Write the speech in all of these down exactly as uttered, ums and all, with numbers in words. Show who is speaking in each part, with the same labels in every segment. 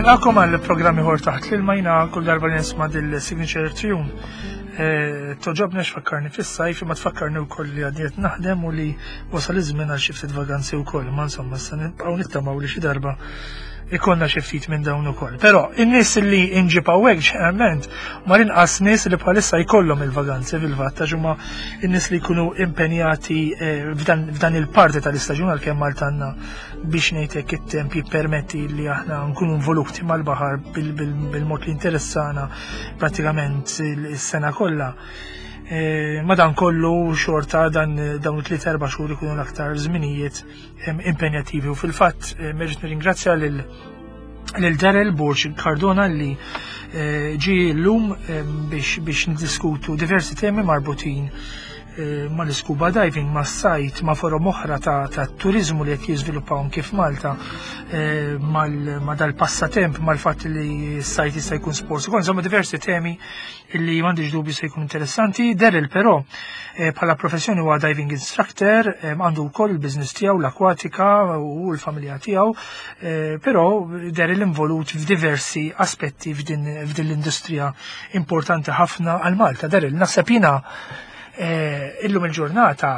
Speaker 1: Nilqagħkom għal programm ieħor Taħt l-Ilma. Jiena kull darba li nisma' dil-signature tune eh, togħġobni għax tfakkarni fis-sajf, imma tfakkarni wkoll li għadni qed naħdem u li wasal iż-żmien għal xi ftit vaganzi wkoll. Ma insomma, issa nibqgħu nittamaw li xi darba ikollna xi ftit minn dawn ukoll. Però in-nies li nġib hawnhekk ġeneralment ma l-inqas nies li bħalissa jkollhom il-vaganzi fil-fatt, għax huma n-nies li jkunu impenjati eh, f'dan f'dan il-parti tal-istaġun, għalkemm Malta għandna, biex ngħidlek, it-temp jippermetti li aħna nkunu involuti mal-baħar bil-mod li interessana pratikament is-sena kollha. E, Madan kollu xorta dan dawn it-tliet erba' xhur ikunu l-aktar żminijiet em, impenjattivi u fil-fatt eh, irrid nirringrazzja lil lil Daryl Borg Cardona li eh, ġi llum em, biex biex niddiskutu diversi temi marbutin eh, mal-scuba diving, ma' sajt, ma' forom oħra ta', ta' turizmu li qed jiżviluppaw kif Malta, eh, mal- ma' dal-passatemp, mal-fatt li s-sajt jista' jkun sport. Ukoll, insomma, diversi temi illi m'għandix dubju se jkun interessanti. Daryl però eh, bħala professjoni huwa diving instructor, eh, għandu wkoll il-business tiegħu, l-akwatika, u l-familja tiegħu, eh, però Daryl involut f'diversi aspetti f'din f'din l-industrija importanti ħafna għal Malta. Daryl, naħseb jiena eh, illum il-ġurnata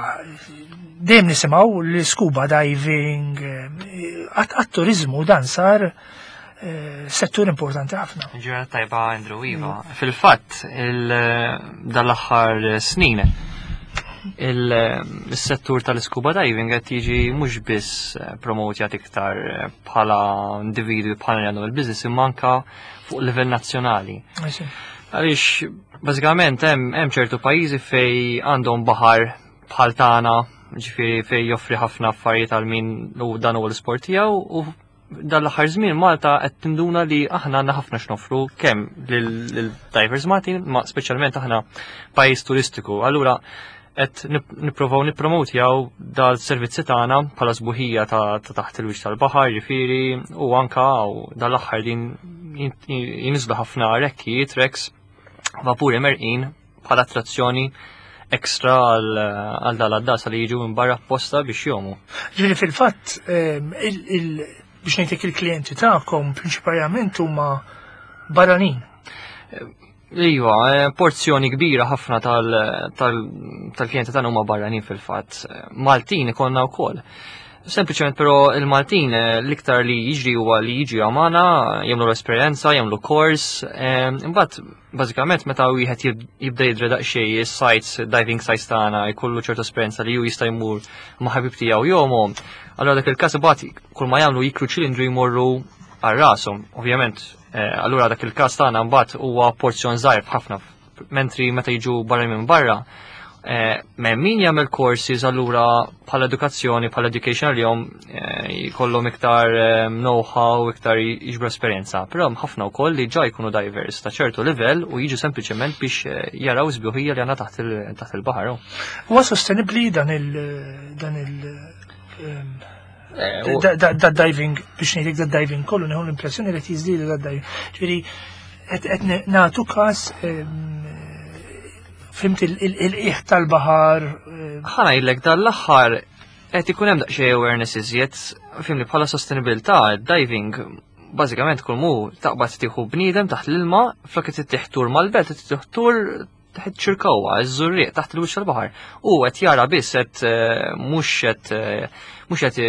Speaker 1: dejjem nisimgħu l-scuba diving, eh, għat-turizmu dan sar eh, settur importanti ħafna.
Speaker 2: Ġurnata tajba, Andrew. Iva. Fil-fatt, dal-aħħar snin, il-settur tal-scuba diving qed jiġi mhux biss promotjat iktar bħala individwi, bħala li għandhom il-business, imma anka fuq livell nazzjonali. Għaliex bażikament hemm hemm ċertu pajjiżi fej għandhom baħar bħal tagħna, ġifieri fej joffri ħafna affarijiet għal min u dan huwa l-isport tiegħu, u dal-aħħar żmien Malta qed tinduna li aħna għandna ħafna x'noffru kemm lil-divers Maltin, ma speċjalment aħna pajjiż turistiku. Allura qed nipprovaw nippromotjaw dal-servizzi tagħna bħala sbuħija ta' taħt il-wiċċ tal-baħar, ġifieri, u anka dal-aħħar din jinżlu ħafna rekkijiet, wrecks, vapuri mgħerrqin bħala attrazzjoni ekstra għal dal-għaddasa li jiġu minn barra apposta biex jgħumu.
Speaker 1: Ġifieri fil-fatt, biex ngħidlek, il-klijenti tagħkom prinċipalment huma barranin.
Speaker 2: Iva, eh, porzjoni kbira ħafna tal-klijenti tagħna huma barranin fil-fatt. Maltin ikollna wkoll. Sempliċement però il-Maltin eh, l-iktar li jiġri huwa li jiġi għamana, jagħmlu l-esperjenza, jagħmlu kors, eh, imbagħad bażikament meta wieħed jibda jidra daqsxejn is-sites, diving sites tagħna, jkollu ċertu esperjenza li hu jista' jmur ma' ħabib tiegħu jgħumu. Allura dak il-każ imbagħad kull ma jagħmlu jikru ċilindru, jmorru għal rashom, ovvjament. Eh, allura dak il-każ tagħna mbagħad huwa porzjon żgħir ħafna, mentri meta jiġu barra minn barra, Eh, min jagħmel courses, allura bħala edukazzjoni, bħala education li jom eh, jkollhom iktar eh, know-how, iktar jiġbru esperjenza. Però hemm ħafna wkoll li ġa jkunu divers ta' ċertu livell u jiġu sempliċement biex jaraw sbuħija li għandna taħt il-baħar.
Speaker 1: Huwa sostenibbli dan il dan il da diving, biex ngħidlek, da diving kollu nieħu l-impressjoni li qed jiżdiedu da diving. Ġifieri qed nagħtu każ, fimt, il-qiegħ tal-baħar.
Speaker 2: Ħa ngħidlek, dal-aħħar qed ikun hemm daqsxejn awareness iżjed, fhimni, bħala sostenibilità, diving bażikament kull mu taqbad tieħu bniedem taħt l-ilma, flok qed ittih tur mal-belt, qed ittih tur taħt Ċirkewwa, iż-Żurrieq, taħt il-wiċċ tal-baħar. U qed jara biss, qed eh, mhux qed eh, mhux qed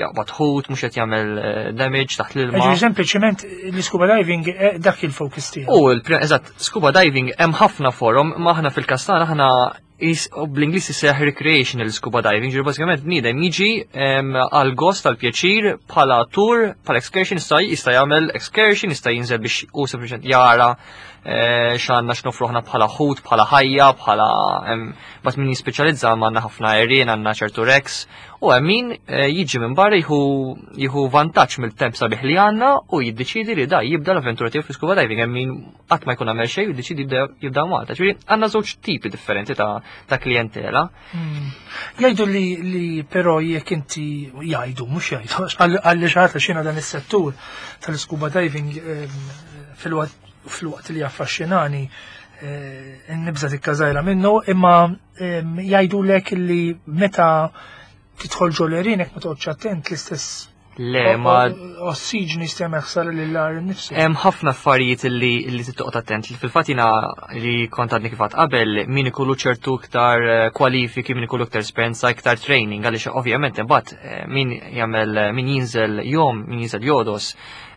Speaker 2: jaqbad ħut, mhux qed jagħmel eh, damage taħt l-ilma.
Speaker 1: Ġifieri sempliċement l-scuba diving dak il-focus tiegħu.
Speaker 2: U eżatt, scuba diving hemm ħafna forom, ma aħna fil-każ tagħna aħna bl-Ingliż isseħ recreational scuba diving, ġifieri bażikament bniedem jiġi għal gost, tal pjaċir, bħala tour, bħala excursion, jista' jista' jagħmel excursion, jista' jinżel biex u sempliċement jara eh, x'għandna x'noffru aħna bħala ħut, bħala ħajja, bħala bat min jispeċjalizza, għandna ħafna għerien, għandna ċertu wrecks, u hemm min eh, jiġi minn barra jieħu jieħu vantaġġ mill-temp sabiħ li għandna u jiddeċidi li da jibda l-avventura tiegħu fi scuba diving, hemm min qatt ma jkun għamel xejn u jiddeċidi jibda Malta. Ġifieri għandna żewġ tipi differenti ta' ta' klientela.
Speaker 1: Hmm. Jgħidu li li però jekk inti, jgħidu, mhux jgħidu, għalli xi xina dan is-settur tal-scuba diving, fil-waqt li affaxxinani, eh, nibża tikka minnu, imma jgħidu lek li meta tidħol ġol-għerien, ma toqgħodx attent, l-istess
Speaker 2: Le, ma
Speaker 1: Ossiġni jista' jagħmel ħsara lill-għar innifsu.
Speaker 2: Hemm ħafna affarijiet li li trid attent li fil-fatt jiena li kont għadni kif għedt qabel, min ikollu ċertu iktar eh, kwalifiki, min ikollu iktar esperjenza, iktar training, għaliex ovvjament imbagħad eh, min jagħmel min jinżel jgħum, min jinżel jogħdos,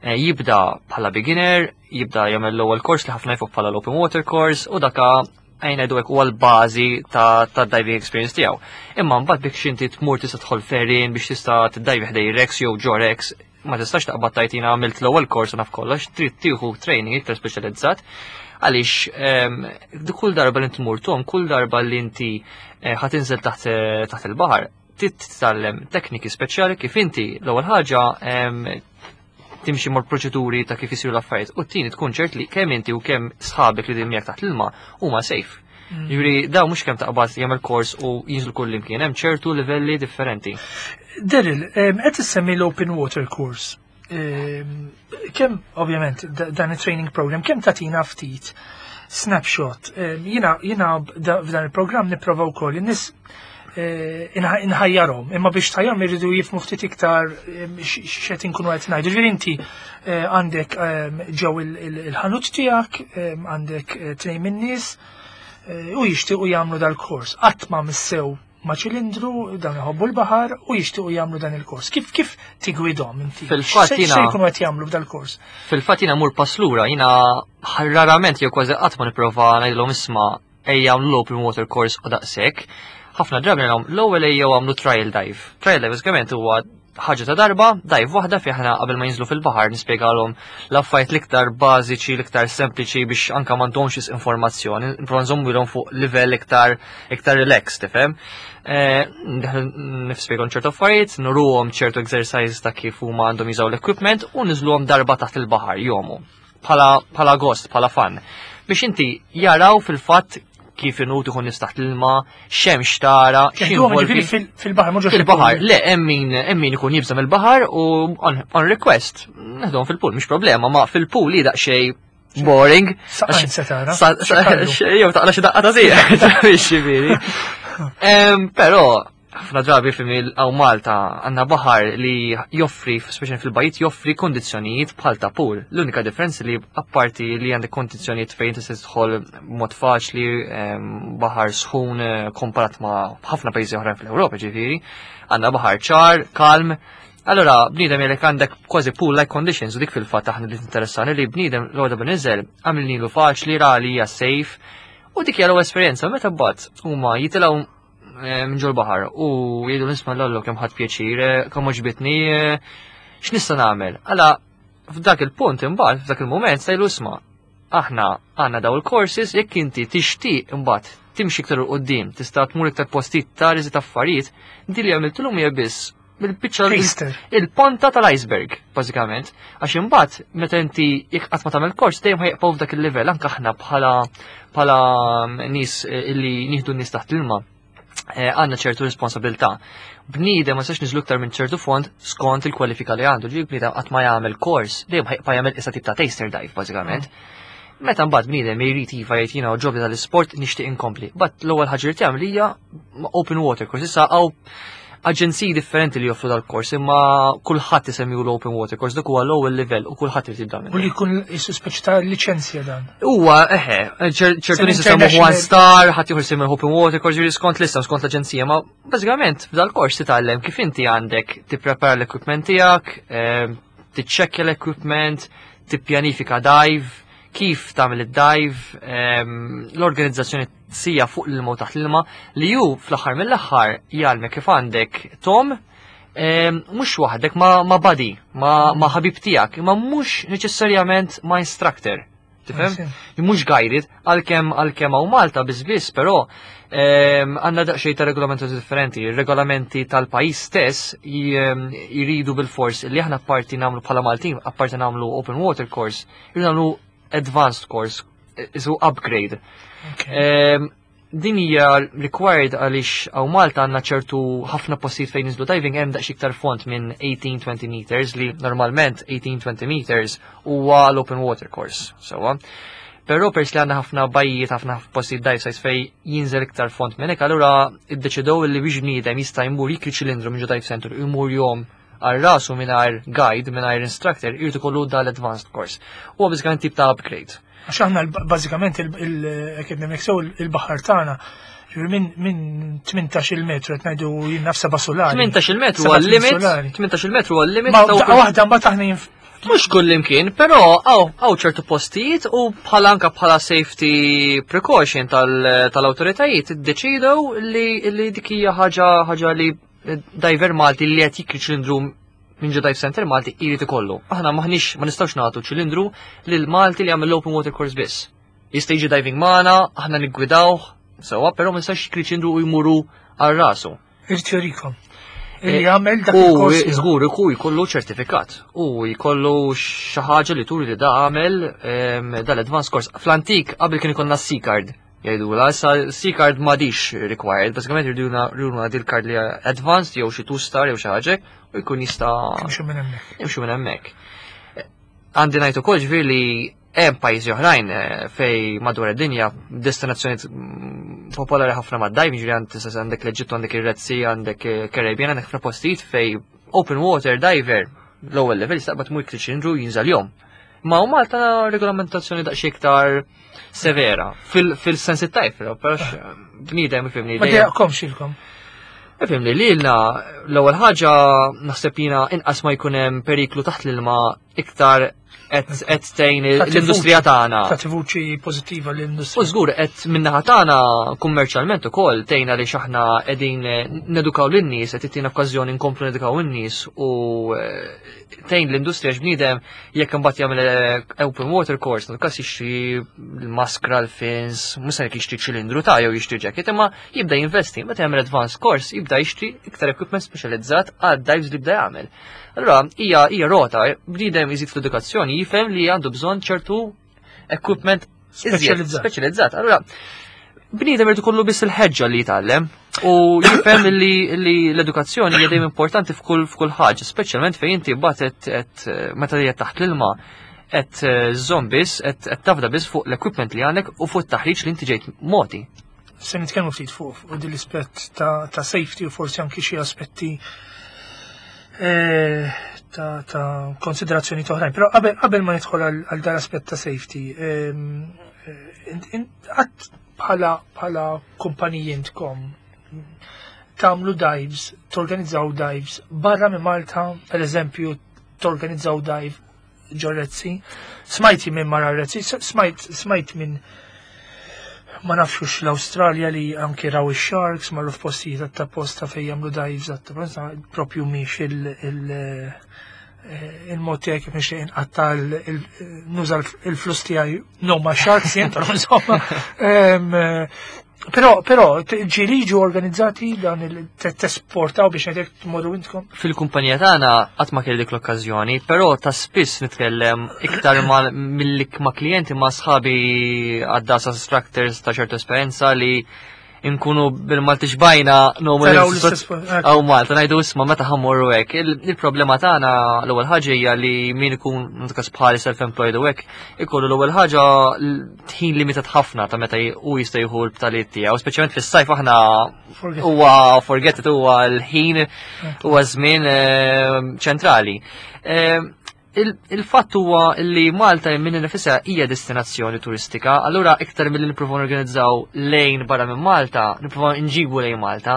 Speaker 2: eh, jibda bħala beginner, jibda jagħmel l-ewwel course li ħafna jafuh bħala l-open water course u daka għajna jgħidu hekk huwa l-bażi ta' ta' diving experience tiegħu. Imma mbagħad biex inti tmur tista' tidħol f'għerien biex tista' tiddajvi ħdejn wrecks jew ġo wrecks, ma tistax taqbad tgħid jiena għamilt l-ewwel course u naf kollox, trid tieħu training iktar speċjalizzat għaliex ehm, kull darba li tmur tgħum, kull darba li inti eh, ħa tinżel taħt eh, taħt il-baħar, trid titgħallem tekniki speċjali kif inti l-ewwel ħaġa ehm, timxi mal proċeduri ta' kif isiru l-affarijiet u t-tieni tkun ċert li kemm inti u kemm sħabek li miegħek taħt l-ilma huma safe.
Speaker 1: Mm.
Speaker 2: Jiġifieri daw mhux kemm taqbad jagħmel kors u jinżlu kull imkien, hemm ċertu livelli differenti.
Speaker 1: Daryl, em, qed issemmi l-Open Water Course. Em, Kemm, ovvjament, da- dan il-training program, kemm tatina ftit snapshot? Em, Jiena jiena b'da- f'dan il-program nipprova wkoll in-nies eh, inħ- inħajjarhom, imma biex tħajjarhom irridu jifhmu ftit iktar em, x- x'qed inkunu qed ngħidu. Ġifieri inti eh, għandek em, ġew il- il- il-ħanut tiegħek, em, għandek eh, tnejn min-nies eh, u jixtiequ jagħmlu dal-kors. Qatt ma missew ma ċilindru, dan iħobbu l-baħar u jixtiequ jagħmlu dan il-kors. Kif kif tigwidhom inti?
Speaker 2: Fil-fatt
Speaker 1: X'se-
Speaker 2: jiena-
Speaker 1: x'se jkunu qed jagħmlu f'dal-kors?
Speaker 2: Fil-fatt jiena mur pass lura, jiena rarament jew kważi qatt ma nipprova ngħidilhom, "Isma', ejja għamlu l-open water course u daqshekk." Ħafna drabi ngħidilhom l-ewwel ejjew għamlu trial dive. Trial dive bażikament huwa ħaġa ta' darba, dive waħda fi aħna qabel ma jinżlu fil-baħar nispjegalhom l-affarijiet l-iktar bażiċi, l-iktar sempliċi biex anka m'għandhomx informazzjoni, nipprova nżommilhom fuq livell iktar iktar relax, tifhem? Eh, Nispjegahom ċertu affarijiet, nuruhom ċertu exercise ta' kif huma għandhom jużaw l-equipment u niżluhom darba taħt il-baħar jgħumu. Bħala bħala gost, bħala fun. Biex inti jaraw fil-fatt kif inhu tieħu nifs taħt l-ilma, x'hemm tara,
Speaker 1: Jeħduhom
Speaker 2: x'involvi.
Speaker 1: ġifieri fil- fil-baħar, mhux ġo
Speaker 2: Fil-baħar, le, hemm min hemm min ikun jibża' mill-baħar u on, on request, neħduhom fil-pool, mhix problema, ma fil-pool li daqsxejn boring.
Speaker 1: Saqajn se tara.
Speaker 2: Sa- sa-
Speaker 1: X'kallu.
Speaker 2: Jew taqla xi daqqa ta' sieq, ġifieri. Em, Però ħafna drabi fil hawn Malta għandna baħar li joffri, speċjalment fil-bajt, joffri kondizzjonijiet bħal ta' pool. L-unika differenza li apparti li għandek kondizzjonijiet fejn tista' tidħol mod faċli, em, baħar sħun eh, komparat ma' ħafna pajjiżi oħrajn fl-Ewropa ġifieri, għandna baħar ċar, kalm. Allora, bniedem jekk għandek kważi pool-like conditions u dik fil-fatt aħna li interessani li bniedem l-għoda bniżel għamilnilu faċli, ra li hija safe u dik hija l-ewwel esperjenza. Meta mbagħad huma jitilgħu eh, minn ġol baħar u jgħidu, "Nisma' l-allu kemm ħadt pjaċir, eh, kemm għoġbitni, eh, x'nista' nagħmel?" Alla f'dak il-punt imbagħad, f'dak il-mument sejlu, "Isma', aħna għandna daw il-courses, jekk inti tixtieq imbagħad timxi iktar 'il quddiem, tista' tmur iktar postijiet, tara iżjed affarijiet." Di li għamiltilhom hija biss bil-biċċa
Speaker 1: Taster.
Speaker 2: il-ponta tal-iceberg, bażikament. Għax imbagħad meta inti jekk qatt ma tagħmel kors dejjem ħa jibqgħu f'dak il-livell, anke aħna bħala bħala nies eh, illi nieħdu n-nies taħt l-ilma eh, għandna ċertu responsabilità. Bniedem ma sax niżlu iktar minn ċertu fond skont il-kwalifika li għandu, ġi bniedem qatt ma jagħmel kors, dejjem ħa jibqa' jagħmel issa tip ta' taster dive bażikament. Meta mbagħad bniedem jrid iva jgħid, "Jiena għoġobni tal-isport, nixtieq inkompli." But l-ewwel ħaġa li tagħmel hija open water course. Issa hawn aġenziji differenti li joffru dal-kors, imma kulħadd isemmiu l-open water course, dak huwa l-ewwel livell u kulħadd irid jibda
Speaker 1: U
Speaker 2: minnu.
Speaker 1: li jkun jisu speċi ta' liċenzja dan.
Speaker 2: Huwa eħe, ċer- ċertu nies isemmuh one
Speaker 1: international-
Speaker 2: star, ħadd ieħor isemmu open water course, ġifieri skont lista, skont l-aġenzija, ma bażikament f'dal-kors titgħallem kif inti għandek tipprepara l-equipment tiegħek, ehm, tiċċekkja l-equipment, tippjanifika dive, kif tagħmel id-dive, ehm, l-organizzazzjoni sija fuq l-ilma u taħt l-ilma, li ju fl-aħħar mill-aħħar jgħallmek kif għandek tgħum ehm, mhux waħdek, ma, ma buddy, ma, ma ħabib tiegħek, imma mhux neċessarjament ma instructor. Tifhem? Mhux guided, għalkemm għalkemm hawn Malta biss biss, però ehm, għandna daqsxejn ta' regolamenti differenti. Ir-regolamenti tal-pajjiż stess j- jridu bil-fors li aħna apparti nagħmlu bħala Maltin, apparti nagħmlu open water course, jridu nagħmlu advanced course, isu upgrade. Ehm, din hija required għaliex hawn Malta għandna ċertu ħafna postijiet fejn niżlu diving hemm daqs iktar font minn eighteen twenty meters, li normalment eighteen twenty meters huwa l-open water course. Sewwa. Però pers li għandna ħafna bajjiet, ħafna postijiet dive sites fej jinżel iktar font minn hekk, allura iddeċidew li biex bniedem jista' jmur jikri ċilindru minn ġo dive center u jmur jgħum għal rasu mingħajr guide, mingħajr instructor, irid ikollu dal-advanced course. Huwa bażikament tip ta' upgrade.
Speaker 1: Għax aħna bażikament il-academic sew il-baħar tagħna, ġifieri minn min tmintax-il metru qed ngħidu jien naf seba' sulari.
Speaker 2: tmintax-il metru huwa limit, tmintax-il metru huwa limit.
Speaker 1: Ma daqqa waħda mbagħad aħna jinf
Speaker 2: Mhux kull imkien, però hawn ċertu postijiet u bħala anka bħala safety precaution tal-awtoritajiet iddeċidew li li dik hija ħaġa ħaġa li diver Malti li qed jikri ċilindru minn ġo dive center Malti jrid ikollu. Aħna maħniex ma nistgħux nagħtu ċilindru lil Malti li għamel l-open water course biss. Jista' jiġi diving magħna, aħna niggwidawh, sewwa, però ma nistax jikri ċilindru u jmuru għal rasu.
Speaker 1: Irid jurikom. Illi jagħmel dak il-kors.
Speaker 2: Żgur iku jkollu ċertifikat u jkollu xi ħaġa li turi li da għamel dal-advanced course. Fl-antik qabel kien ikollna C-card jgħidula, issa C-card m'għadix required, bażikament jriduna dil-card li advanced jew xi two star jew xi ħaġa u jkun jista'
Speaker 1: Jimxu minn hemmhekk.
Speaker 2: Jimxu minn hemmhekk. Għandi ngħid ukoll ġifieri li hemm pajjiżi oħrajn fej madwar id-dinja destinazzjonijiet popolari ħafna mad-diving, ġifieri għand tista' għandek l-Eġittu, għandek ir-Red Sea, għandek Caribbean, għandek ħafna postijiet fej open water diver l-ewwel level jistaqbad mur ċilindru jinżal jom. Ma u Malta regolamentazzjoni daqsxejn iktar severa fil-sens tajb, però bniedem ifhimni.
Speaker 1: Ma dejjaqkomx ilkom.
Speaker 2: Ifhimni li lilna l-ewwel ħaġa naħseb jiena inqas ma jkun hemm periklu taħt l-ilma iktar qed tgħin l-industrija tagħna.
Speaker 1: Tagħti vuċi pożittiva l-industrija.
Speaker 2: U żgur qed min-naħa tagħna kummerċjalment ukoll tgħinna li x'aħna qegħdin nedukaw lin-nies, qed tittina okkażjoni nkomplu nedukaw in-nies u tgħin l-industrija x'bniedem jekk imbagħad jagħmel open water course, nkas jixtri l-maskra, l-fins, mhux se jixtri ċilindru ta' jew jixtri jacket, imma jibda jinvesti, meta jagħmel advanced course jibda jixtri iktar equipment speċjalizzat għad dives li jibda jagħmel. Allora, hija hija rota, bniedem iżid fl-edukazzjoni jifhem li għandu bżonn ċertu equipment
Speaker 1: speċjalizzat.
Speaker 2: Speċjalizzat. Allora, bniedem irid ikollu biss il-ħeġġa li jitgħallem u jifhem li l-edukazzjoni hija dejjem importanti f'kull f'kull ħaġa, speċjalment fejn inti mbagħad qed meta hija taħt l-ilma qed żomm biss, qed tafda biss fuq l-equipment li għandek u fuq it-taħriġ li inti ġejt moti.
Speaker 1: Se nitkellmu ftit fuq fuq din l-aspett ta' safety u forsi anki xi aspetti ta' ta' konsiderazzjoni oħrajn. Però qabel qabel ma nidħol għal dan aspett ta' safety, qatt bħala bħala kumpaniji intkom tagħmlu dives, torganizzaw dives barra minn Malta, per eżempju, torganizzaw dive ġo Red Sea. Smajti minn mara Red Sea, smajt smajt minn ma nafxux l-Australja li anki raw ix-sharks, marru f'postijiet ta' posta fejn jagħmlu dives ta' propju mhix il-mod tiegħi kif nixtieq inqatta nuża l-flus tiegħi no ma sharks jien, però insomma. Però però ġieli ġu organizzati dan il-tesportaw biex ngħidlek tmorru intkom?
Speaker 2: Fil-kumpanija tagħna qatt ma kelli dik l-okkażjoni, però ta' spiss nitkellem iktar milli ma' klijenti, ma' sħabi għaddasa instructors ta' ċertu esperjenza li nkunu bil-Malti xbajna nomu għaw Malta, ngħidu isma' meta ħa mmorru hekk. Il-problema tagħna l-ewwel ħaġa hija li min ikun nkas bħali self-employed u hekk, ikollu l-ewwel ħaġa ħin limitat ħafna ta' meta u jista' jieħu l-btaliet tiegħu, speċjalment fis-sajf aħna huwa forget it, huwa l-ħin huwa żmien ċentrali. Il-fatt huwa li Malta minn nifisha hija destinazzjoni turistika, allura iktar milli nippruvaw norganizzaw lejn barra minn Malta, nippruvaw nġibu lejn Malta.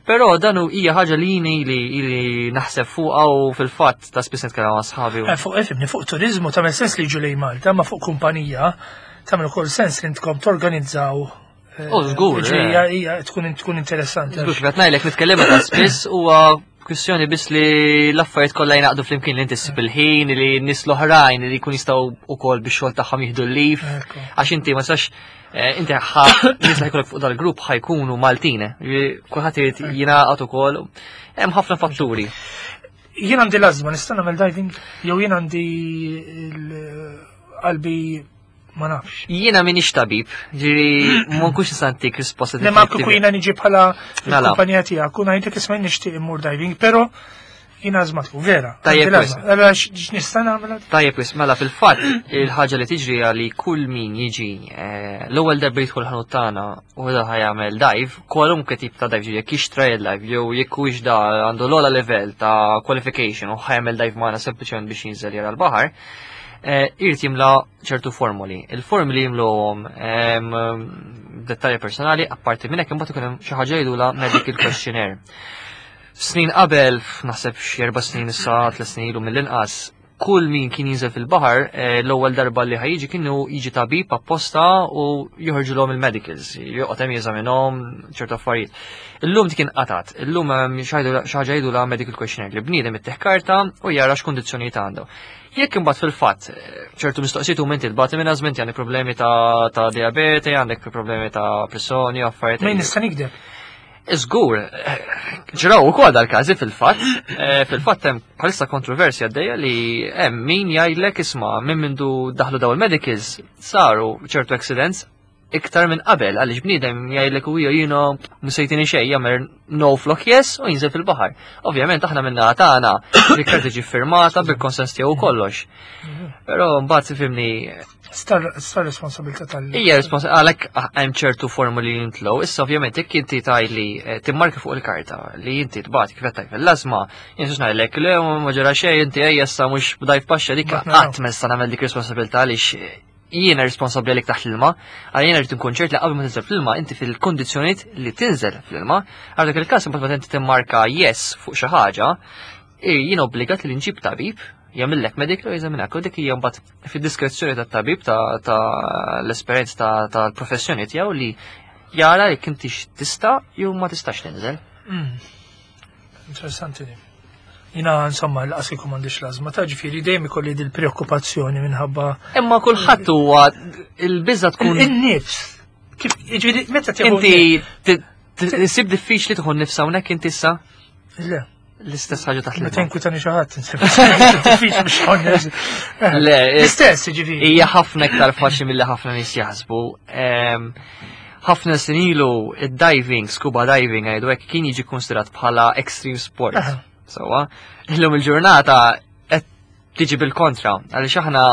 Speaker 2: Però dan hija ħaġa li jini li li naħseb fuqha u fil-fatt ta' spiss nitkellem ma' sħabi.
Speaker 1: Fuq ifhimni, fuq turizmu tagħmel sens li jiġu lejn Malta, ma fuq kumpanija tagħmel ukoll sens li intkom torganizzaw.
Speaker 2: Oh, żgur.
Speaker 1: Hija tkun tkun interessanti.
Speaker 2: Żgur, kif qed ngħidlek nitkellem ta' spiss huwa kwistjoni biss li l-affarijiet kollha jnaqdu flimkien li inti ssib il-ħin li n-nies l-oħrajn li jkun jistgħu wkoll bix-xogħol tagħhom jieħdu l-leave. Għax inti ma sax inti ħa nies li jkollok fuq dal-grupp ħajkunu Maltin. Kulħadd irid jingħaqad ukoll. Hemm ħafna fatturi.
Speaker 1: Jien għandi l-ażma, nista' nagħmel diving jew jien għandi qalbi ma nafx.
Speaker 2: Jiena minix tabib, ġiri ma nkunx nista' ntik risposta
Speaker 1: Le ma kieku jiena niġi bħala kumpanija tiegħek, u ngħidlek isma' nixtieq immur diving, però Jiena ażmatiku, vera.
Speaker 2: Tajjeb,
Speaker 1: għandi l-ażma. Allora x'nista' nagħmel?
Speaker 2: Tajjeb, wis, mela fil-fatt il-ħaġa li tiġri hija li kull min jiġi eh, l-ewwel darba jidħol ħanut tagħna u da ħa jagħmel dive, kwalunkwe tip ta' dive, jekk hix trial dive jew jekk huwiex da għandu l-ogħla level ta' qualification u ħa jagħmel dive magħna sempliċement biex jinżel jara l-baħar, eh, irid jimla ċertu formuli. Il-formuli jimluhom em, dettalji personali, apparti minn hekk imbagħad ikun hemm xi ħaġa jgħidulha medical questionnaire. Snin qabel, naħseb xi erba' snin issa, tliet snin ilu mill-inqas, kull min kien jinżel fil-baħar, eh, l-ewwel darba li ħa jiġi kienu jiġi tabib apposta u joħorġulhom il-medicals, joqgħod hemm jeżaminhom ċertu affarijiet. Illum dik inqatgħet, illum hemm xi ħaġa jgħidulha medical questionnaire li bniedem ittih karta u jara x'kundizzjonijiet għandu. Jekk imbagħad fil-fatt eh, ċertu mistoqsijiet u inti tbati minn ażma, għandek problemi ta' ta' diabete, għandek problemi ta' pressjoni, affarijiet.
Speaker 1: Ma nista' nikdeb.
Speaker 2: Żgur, ġraw ukoll dal-każi fil-fatt, eh, fil-fatt hemm bħalissa kontroversja għaddejja li hemm min jgħidlek isma' minn mindu daħlu daw il-medicals saru ċertu accidents iktar minn qabel għaliex bniedem jgħidlek u jiena musejtini xejn jagħmel no flok yes u jinżel fil-baħar. Ovvjament aħna minna tagħna dik tiġi firmata bil-konsens tiegħu kollox. Però mbagħad fimni
Speaker 1: Star star responsabilità tal.
Speaker 2: Hija respons għalhekk hemm ċertu formuli li jintlow. Issa ovvjament jekk inti tajli eh, timmarka fuq il-karta li inti tbati kif qed tgħid l-ażma, jien xi ngħidlek le ma ġara xejn inti ejja issa mhux b'dive paxxa dik
Speaker 1: Mbagħad naraw.
Speaker 2: qatt ma nista' nagħmel dik responsabilità għaliex jiena responsabbli għalik taħt l-ilma, għal jiena rrid nkun ċert li qabel ma tinżel fl-ilma inti fil-kondizzjonijiet li tinżel fl-ilma, għal dak il-każ imbagħad meta inti timmarka yes fuq xi ħaġa, eh, jien obbligat li nġib tabib jagħmillek medical u jeżaminak u dik hija mbagħad fid-diskrezzjoni tat-tabib ta' ta' l-esperjenza ta' tal-professjoni tiegħu li jara jekk inti tista' jew ma tistax tinżel.
Speaker 1: Mm. Interessanti di. Jiena insomma l-qas kieku m'għandix l-ażma ta' ġifieri dejjem ikolli dil preokkupazzjoni minħabba
Speaker 2: Imma kulħadd huwa il-biża tkun
Speaker 1: in-nifs. Kif ġifieri meta tieħu
Speaker 2: inti ti- ti- issib diffiċli tieħu nifs hawnhekk inti issa
Speaker 1: Le,
Speaker 2: l-istess ħaġa taħt
Speaker 1: meta
Speaker 2: l-ilma.
Speaker 1: inkwitani xi ħadd insib. Diffiċli biex ħonnes.
Speaker 2: Le,
Speaker 1: L-istess ġifieri.
Speaker 2: Hija ħafna iktar faċli milli ħafna nies jaħsbu. Em, Ħafna snin ilu id-diving, scuba diving ngħidu hekk kien jiġi konsiderat bħala extreme sport.
Speaker 1: Aha.
Speaker 2: Sewwa, illum il-ġurnata qed tiġi bil-kontra, għaliex aħna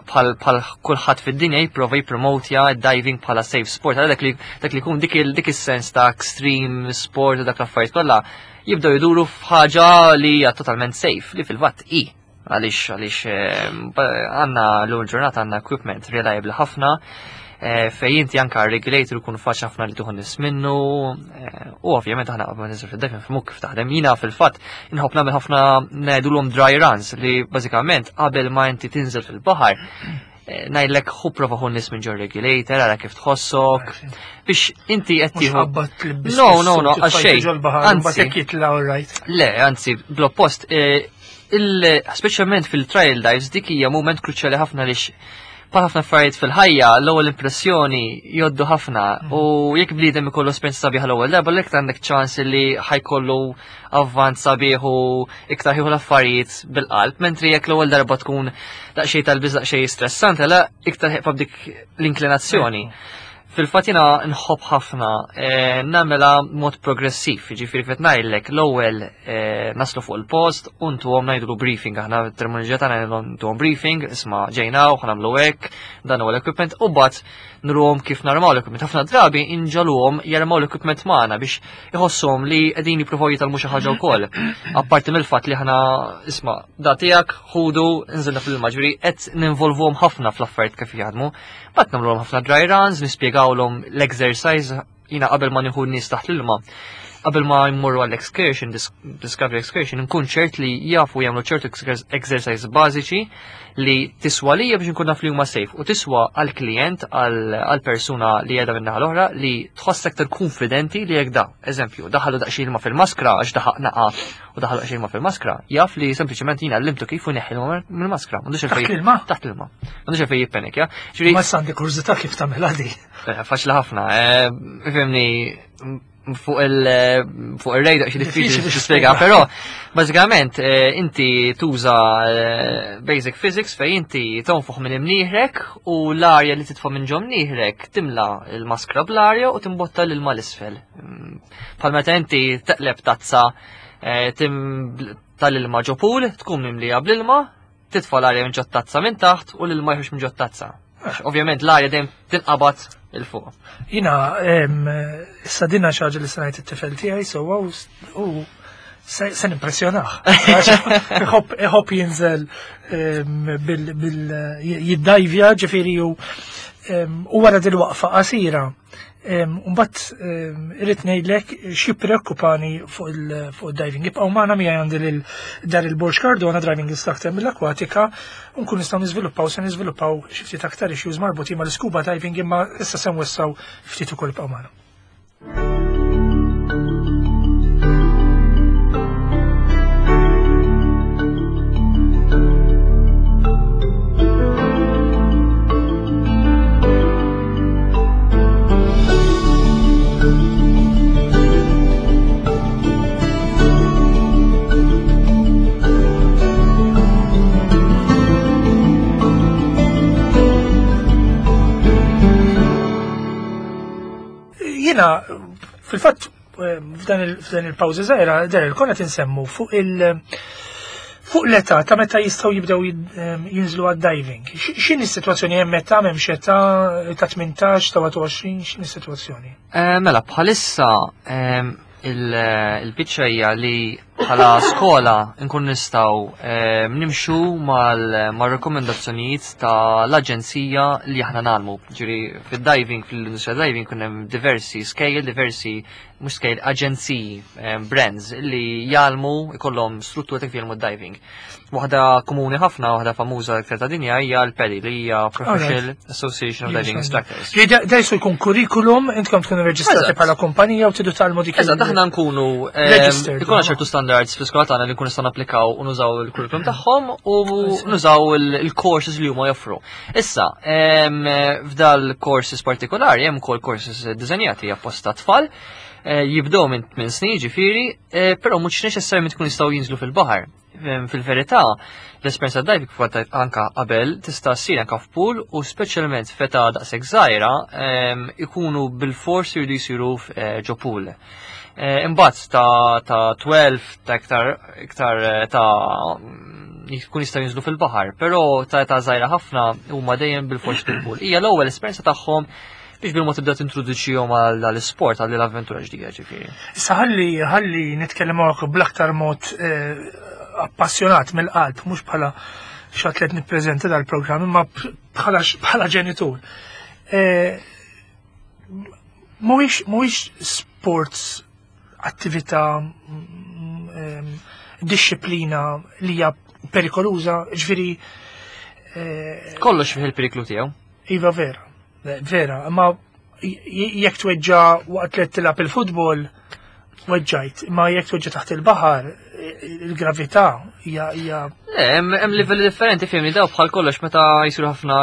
Speaker 2: bħal bħal kulħadd fid-dinja jipprova jippromotja diving bħala safe sport, għal dak li dak li jkun dik il- dik is-sens ta' extreme sport u dak l-affarijiet kollha jibdew jduru f'ħaġa li hija totalment safe, li fil-fatt i. Għaliex għaliex eh, għandna l ġurnata għandna equipment reliable ħafna, eh, fej inti anka regulator ikun faċli ħafna li tieħu nies minnu, eh, u ovvjament aħna qabel ma ninżel fid-diving nifhmuk kif taħdem. Jiena fil-fatt inħobb nagħmel ħafna ngħidulhom dry runs li bażikament qabel ma inti tinżel fil-baħar eh, ngħidlek ħu prova ħu nies minn ġo regulator, ara kif tħossok, biex inti qed
Speaker 1: Mhux
Speaker 2: tieħu
Speaker 1: qabad tlibbis.
Speaker 2: No, no, no, għal xejn.
Speaker 1: Ġol-baħar,
Speaker 2: Anzi.
Speaker 1: mbagħad jekk jitla' all right.
Speaker 2: Le, anzi, bl-oppost, eh, il- speċjalment fil-trial dives dik hija moment kruċjali ħafna lix bħal ħafna affarijiet fil-ħajja, l-ewwel impressjoni jgħoddu ħafna u jekk bniedem ikollu esperjenza sabiħa l-ewwel darba l għandek ċans li ħa jkollu avvanz sabiħ u iktar jieħu l-affarijiet bil-qalb, mentri jekk l-ewwel darba tkun daqsxejn tal-biż daqsxejn stressanti, la iktar ħeqfa b'dik l-inklinazzjoni. Fil-fatt jiena nħobb ħafna eh, nagħmilha mod progressiv, jiġifieri kif ngħidlek l-ewwel eh, naslu fuq il-post u ntuhom ngħidulu briefing, aħna terminoloġija tagħna ntuhom briefing, isma' ġejna u ħa nagħmlu hekk, dan huwa l-equipment u mbagħad nuruhom kif narmaw l-equipment. Ħafna drabi inġagħluhom jarmaw l-equipment magħna biex iħossuhom li qegħdin jippruvaw jitgħallmu xi ħaġa wkoll. Apparti mill-fatt li aħna isma' da tiegħek ħudu nżilna fil-ilma, ġifieri qed ninvolvuhom ħafna fl-affarijiet kif jaħdmu. Mbagħad nagħmluhom ħafna dry runs, nispjegawlhom l-exercise jiena qabel ma nieħu n-nies taħt l-ilma. Qabel ma jmorru għall-excursion, dis discovery excursion, nkun ċert li jafu jagħmlu ċertu exer- exercise bażiċi li tiswa lija biex nkun naf li huma safe u tiswa għall-klient għall-persuna li qiegħda min-naħa l-oħra li tħoss aktar konfidenti li jekk da. Eżempju, daħalu daqsxejn ilma fil-maskra għax daħaq naqa u daħalu daqsxejn ilma fil-maskra, jaf li sempliċement jiena għallimtu kif u neħħi ilma mill-maskra. M'għandux
Speaker 1: Taħt
Speaker 2: il-fej.
Speaker 1: l-ilma?
Speaker 2: Taħt l-ilma. M'għandux il-fej jippenikja. Ġifieri
Speaker 1: Ma għandi kurżità kif tagħmilha di.
Speaker 2: Eh, Faċli ħafna, eh, fimni, Fuq il fuq ir-radio xi diffiċli tispjega, però bażikament eh, inti tuża eh, basic physics fejn inti tonfoħ minn imnieħrek u l-arja li titfa' minn ġo mnieħrek timla l-maskra bl-arja u timbotta l-ilma l-isfel. Mm, bħal meta inti teqleb tazza eh, tal-ilma ġo pool, tkun mimlija bl-ilma, titfa' l-arja minn ġo tazza minn taħt u l-ilma jħux minn ġo tazza. Ovvjament l-arja dejjem tinqabad 'il fuq.
Speaker 1: Jiena, issa dinna xi ħaġa li se ngħid it-tifel tiegħi sewwa u se nimpressjonah. Iħobb jinżel bil jiddajvja ġifieri u wara dil-waqfa qasira. Mbagħad irrid ngħidlek xi preokkupani fuq il-diving. Ibqgħu magħna miegħi għandi lil Daryl Borg Cardona, driving instructor mill-Aquatica, u nkun nistgħu niżviluppaw se niżviluppaw xi ftit aktar issues marbutin mal-scuba diving, imma issa se nwessaw ftit ukoll. Ibqgħu magħna. Jiena, fil-fatt, f'dan il-pawża żgħira, Daryl, konna tinsemmu fuq il- fuq l-età ta' meta jistgħu jibdew jinżlu għad-diving. X'inhi s-sitwazzjoni? Hemm età, m'hemmx età, ta' tmintax, ta' wieħed u għoxrin, x'inhi s-sitwazzjoni?
Speaker 2: Eh, mela, bħalissa il-biċċa hija li bħala skola nkun nistgħu nimxu mal-rekomendazzjonijiet tal-aġenzija li aħna ngħallmu. Ġifieri fid-diving, fil-industrija diving kun hemm diversi scale, diversi mhux scale, aġenziji, brands li jgħallmu, ikollhom struttura ta' kif jgħallmu diving. Waħda komuni ħafna, waħda famuża aktar ta' dinja hija l-PADI, li hija Professional Association of Diving Instructors.
Speaker 1: Da jisu jkun kurrikulum, intkom tkunu reġistrati bħala kumpanija u tridu tgħallmu dik.
Speaker 2: Eżatt, aħna nkunu ikollna ċertu standards fl-iskola tagħna li nkunu nistgħu napplikaw u nużaw il-curriculum tagħhom u nużaw il-courses li huma joffru. Issa, f'dal courses partikolari hemm ukoll courses diżenjati apposta tfal, eh, jibdew minn tmien snin ġifieri, eh, però mhux neċessarjament tkun jistgħu jinżlu fil-baħar. Fil-verità, l-esperjenza diving kif anka qabel tista' ssir anka f'pool u speċjalment f'età daqshekk żgħira ikunu bil-fors jridu jsiru eh, ġo pool. Imbagħad ta' ta' tnax ta' iktar iktar ta' jkun jistgħu jinżlu fil-baħar, però ta' ta' żgħira ħafna huma dejjem bil-fors fil-pool. Hija l-ewwel esperjenza tagħhom biex bil-mod tibda tintroduċihom għall-isport, għall-avventura ġdida ġifieri.
Speaker 1: Issa ħalli ħalli nitkellem bl-aktar mod appassjonat mill-qalb, mhux bħala xi atlet nippreżenta dal-programm, imma bħala ġenitur. Mhuwiex sports attività, disċiplina li hija perikoluża, ġifieri.
Speaker 2: Kollox fih il-periklu tiegħu.
Speaker 1: Iva vera, vera, imma jekk tweġġa waqt li tilgħab il-futbol, weġġajt, imma jekk tweġġa taħt il-baħar, il-gravità hija hija.
Speaker 2: Le, hemm livelli differenti, fihmni, daw bħal kollox meta jsiru ħafna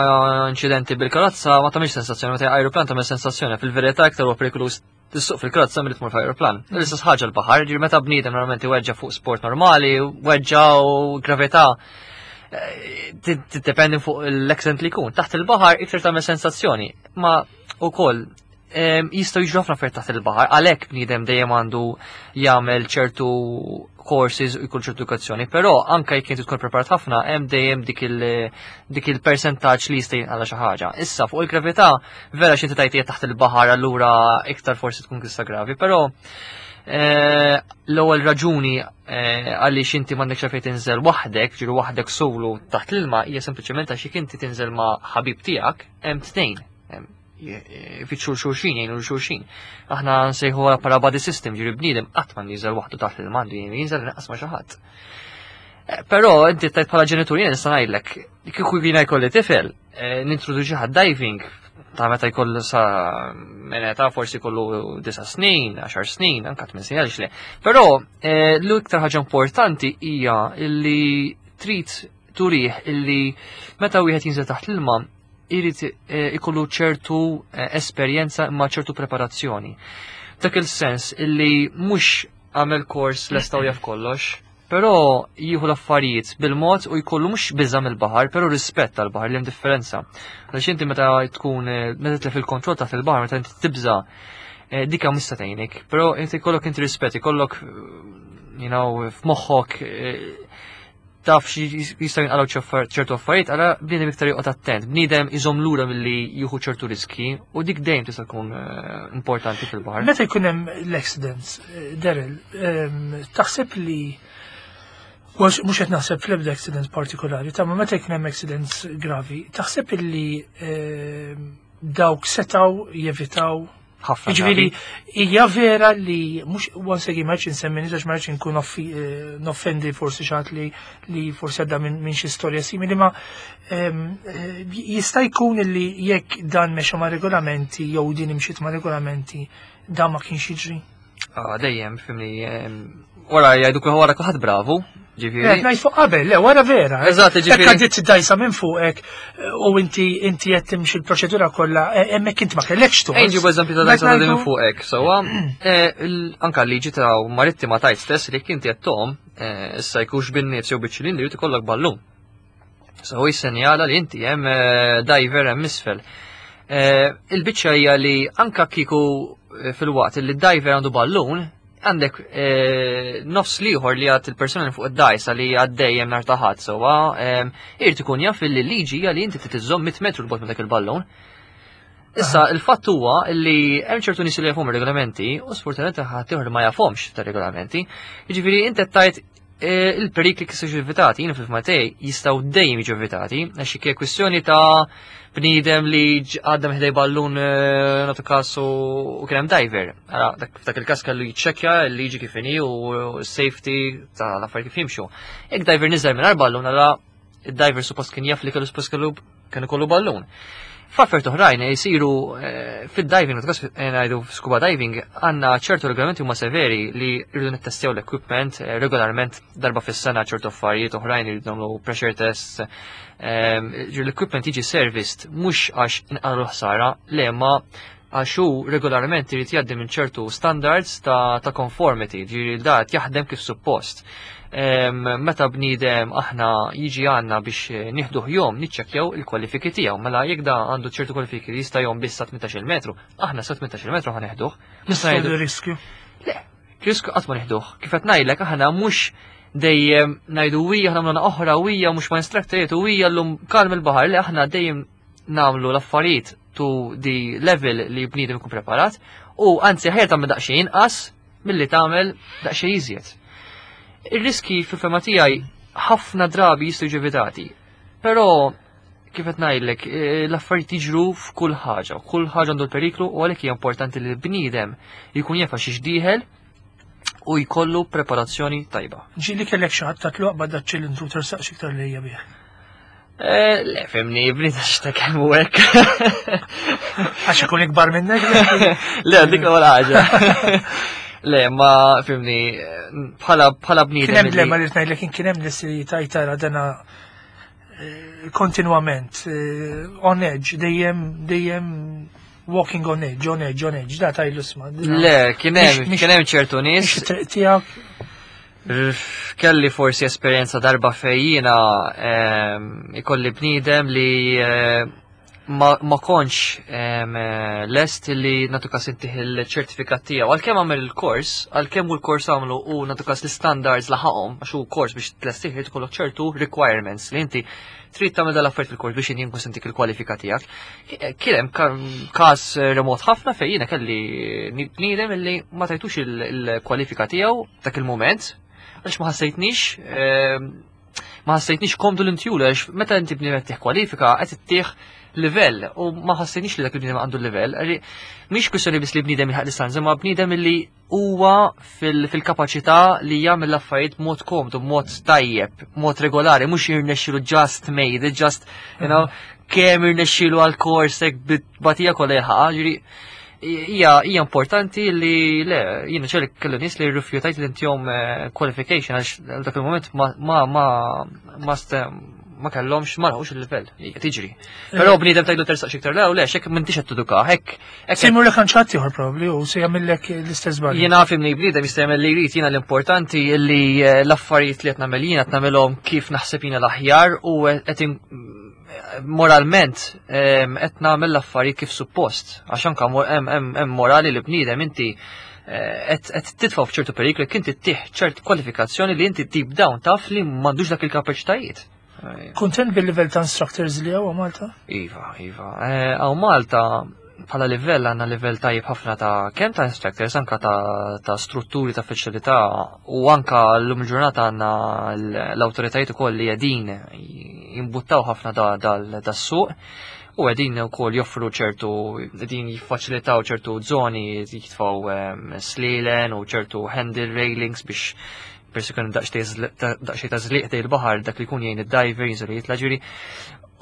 Speaker 2: inċidenti bil-karozza ma tagħmilx sensazzjoni, meta ajruplan tagħmel sensazzjoni, fil-verità iktar huwa perikoluż tissuq fil-karozza milli tmur f'ajruplan. L-istess ħaġa l-baħar, ġifieri meta bniedem normalment iweġġa fuq sport normali, weġġa u gravità tiddependi fuq l-accident li jkun. Taħt il-baħar iktar tagħmel sensazzjoni, ma wkoll jistgħu jiġru ħafna affarijiet taħt il-baħar, għalhekk bniedem dejjem għandu jagħmel ċertu courses u jkun ċertu edukazzjoni, però anke jekk inti tkun preparat ħafna hemm dejjem dik il dik il-percentaġġ li jista' jinqala xi ħaġa. Issa fuq il-gravità vera xi inti tajt taħt il-baħar allura iktar forsi tkun tista' gravi, però eh, l-ewwel raġuni eh, għaliex inti m'għandekx fejn tinżel waħdek, ġiru waħdek solo taħt l-ilma, hija sempliċement għax jekk inti tinżel ma' ħabib tiegħek hemm tnejn. Fittxu xulxin, jgħinu xulxin. Aħna nsejħu bħala buddy system, ġiri bniedem qatt ma jinżel waħdu taħt l-ilma, għandu jinżel inqas ma' xi ħadd. Eh, però inti tajt bħala ġenitur jien nista' ngħidlek, kieku jiena jkolli tifel, eh, nintroduċi ħad diving ta' meta jkollu sa minn età forsi jkollu disa' snin, għaxar snin, anka tmien snin, għaliex le. Però eh, l-iktar ħaġa importanti hija illi trid turih illi meta wieħed jinżel taħt l-ilma irid ikollu ċertu esperjenza imma ċertu preparazzjoni. Dak il-sens illi mhux għamel kors lesta u jaf kollox, però jieħu l-affarijiet bil-mod u jkollu mhux biża' mill-baħar, però rispett tal-baħar, li hemm differenza. Għaliex inti meta tkun eh, meta titlef il-kontroll taħt il-baħar, meta inti tibża', eh, dika mhux se tgħinek, però inti jkollok inti rispett, jkollok you know, f'moħħok eh, taf xi jistgħu jinqalgħu ċertu affarijiet, għala bniedem iktar joqgħod attent, bniedem iżomm lura milli jieħu ċertu riski u dik dejjem tista' tkun eh, importanti fil-baħar.
Speaker 1: Meta jkun hemm l-accidents, eh, Daryl, ehm, taħseb li mhux mhux qed naħseb fl-ebda accidents partikolari, ta' ma meta jkun hemm accidents gravi, taħseb li ehm, dawk setaw jevitaw?
Speaker 2: Ħafna
Speaker 1: Jiġifieri,
Speaker 2: drabi.
Speaker 1: Hija vera li mhux, once again, ma rridx insemmi nies għax ma rridx inkun offi- eh, noffendi forsi xi ħadd li li forsi għadda minn min xi storja simili, ma ehm, eh, jista' jkun li jekk dan mexa ma' regolamenti jew din imxiet ma' regolamenti, dan ma kienx jiġri?
Speaker 2: Ah, dejjem, fhimni, ehm, wara jgħidu kull wara kulħadd bravu, ġifieri.
Speaker 1: Eh, ngħid fuq qabel, le, wara vera. eh.
Speaker 2: Eżatt, ġifieri-
Speaker 1: Jekk għaddiet dajsa minn fuqek eh, u inti inti qed timxi l-proċedura kollha, eh, hemmhekk inti ma kellekx tort.
Speaker 2: Ejn ġibu eżempju ta'
Speaker 1: Mek
Speaker 2: dajsa ta' minn
Speaker 1: ngħidu-
Speaker 2: fuqek, sewwa, eh, il- anka l-liġi ta' marittima tajt stess li inti qed tom, eh, issa jkunx bin-nifs jew biċ-ċilindri, jrid ikollok ballun. So hu jissenjala li inti hemm eh, diver hemm isfel. Eh, Il-biċċa hija li anka kieku eh, fil-waqt li d-diver għandu ballun, għandek eh, nofs liħor li għad il-persona fuq id-dajsa li għaddejjem nar taħat sewwa, em, irid ikun jaf li l-liġi hija li inti titiżżomm mitt metru 'l bogħod minn dak il-ballun. Issa, il-fatt huwa li hemm ċertu nies li jafhom ir-regolamenti u sfortunatament ħadd ieħor ma jafhomx tar-regolamenti. Jiġifieri inti qed tajt eh, il-perikli kif jiġu evitati, jiena fil tiegħi jistgħu dejjem jiġu evitati, għax hija kwistjoni ta' bniedem li ġ- għadda minn ħdejn ballun eh, nagħtu każ u u kien hemm diver. Ara, dak f'dak il-każ kellu jiċċekkja l-liġi kif inhi u s-safety ta' l-affarijiet kif jimxu. Jekk diver niżel mingħajr ballun, ara id-diver suppost kien jaf li kellu suppost kellu kienu kollu ballun. F'affarijiet oħrajn jisiru eh, fid-diving, nagħtu ngħidu scuba diving, għandna ċertu regolamenti huma severi li rridu nittestjaw l-equipment eh, regolarment darba fis-sena, ċertu affarijiet oħrajn irridu nagħmlu pressure tests. ehm, ġir l-equipment jiġi serviced mhux għax inqalgħu ħsara, le, ma għax hu regolarment irid jgħaddi minn ċertu standards ta', ta conformity, ġiri da qed jaħdem kif suppost. Em, Meta bniedem aħna jiġi għandna biex eh, nieħduh jgħum, niċċekkjaw il-kwalifiki tiegħu. Mela jekk da għandu ċertu kwalifiki li jista' jgħum biss sa tmintax-il metru, aħna sa tmintax-il metru ħa neħduh. Nista' ngħidu
Speaker 1: riskju.
Speaker 2: Le, riskju qatt ma neħduh. Kif qed ngħidlek, aħna mhux dejjem ngħidu wija aħna nagħmlu oħra wija mhux ma instructoriet u wija llum kalm il-baħar, li aħna dejjem nagħmlu l-affarijiet to the level li bniedem ikun preparat u anzi ħajja tagħmel daqsxejn inqas milli tagħmel daqsxejn iżjed. Ir-riski fil-fehma tiegħi ħafna drabi jistgħu jiġu evitati. Però kif qed ngħidlek, eh, l-affarijiet jiġru f'kull ħaġa, kull ħaġa għandu l-periklu u għalhekk hija importanti li l-bniedem jkun jaf xiex dieħel u jkollu preparazzjoni tajba.
Speaker 1: Ġieli kellek xi ħadd tatlu aqbad da ċilindru, tersaqx iktar lejja bih?
Speaker 2: Eh, Le, fhimni, bniedem x'ta kemm u hekk.
Speaker 1: Għax ikun ikbar minnek?
Speaker 2: Le, dik l-ewwel ħaġa. Le, ma fhimni, bħala bħala
Speaker 1: Kien
Speaker 2: bniedem.
Speaker 1: hemm
Speaker 2: illi-
Speaker 1: le, ma li ngħidlek kien hemm nies li tajtara dana eh, kontinwament eh, on edge, dejjem dejjem walking on edge, on edge, on edge, da tajlu sma.
Speaker 2: Le, kien hemm
Speaker 1: Mhix-
Speaker 2: kien hemm ċertu nies.
Speaker 1: Mhix it-triq tiegħek.
Speaker 2: Kelli forsi esperjenza darba fejjina ehm, ikolli bniedem li eh, ma, ma kontx em, eh, lest li nagħtu każ intih il-ċertifikat tiegħu. Għalkemm għamel il-kors, għalkemm hu l-kors għamlu u nagħtu każ l-standards laħaqhom, għax hu kors biex tlestih irid ikollok ċertu requirements li inti trid tagħmel dal-affarijiet fil-kors biex inti nkun sentik il-kwalifika tiegħek. Kien hemm ka- każ remot ħafna fejn jiena kelli bniedem illi ma tajtux il- il-kwalifika tiegħu dak il-moment għax ma ħassejtnix ehm, ma ħassejtnix komdu l-intjulu, għax meta inti bniedem tih kwalifika qed ittih livell u ma ħassejtnix li dak il-bniedem għandu livell. Għalli, mhix kwistjoni biss li bniedem jilħaq l-istanza, ma bniedem li huwa fil- fil-kapaċità li jagħmel l-affarijiet b'mod komdu, b'mod tajjeb, b'mod regolari, mhux jirnexxilu just made it, just, you know, kemm irnexxilu għal-kors hekk bit-batija kollha jilħaqha, ġifieri hija hija importanti li le jiena ċerti kellu nies li rrifjutajt li ntihom eh, qualification għax dak il-moment ma ma ma ma ste- Ma kellhomx, ma laħqux il-livell, hija tiġri. Però bniedem tgħidlu tersaq iktar lew, le, xek m'intix qed teduka, hekk.
Speaker 1: Se jmur lek għand ieħor probabbli u se jagħmellek l-istess żball.
Speaker 2: Jiena fimni, bniedem jista' jagħmel li jrid, jiena l-importanti li eh, l-affarijiet li qed nagħmel jiena qed nagħmelhom kif naħseb jiena l-aħjar u qed moralment qed nagħmel l-affarijiet kif suppost. Għax anke hemm morali li bniedem inti eh, qed titfa' f'ċertu periklu jekk inti ttih ċert kwalifikazzjoni li inti deep down taf li m'għandux dak il-kapaċitajiet.
Speaker 1: Kontent bil-livell ta' instructors li hawn Malta?
Speaker 2: Iva, iva. Hawn Malta bħala livell għandna livell tajjeb ħafna ta' kemm ta' instructors, anka ta', ta strutturi ta' faċilità u anka l-lum il-ġurnata għandna l-awtoritajiet ukoll li qegħdin jimbuttaw ħafna da-suq u qegħdin ukoll joffru ċertu, qegħdin jiffaċilitaw ċertu zoni, jitfaw slilen u ċertu handle railings biex persi kun daqsxejn ta' żliq il-baħar, dak li jkun jgħin id-diver jinżel jitla'. Ġifieri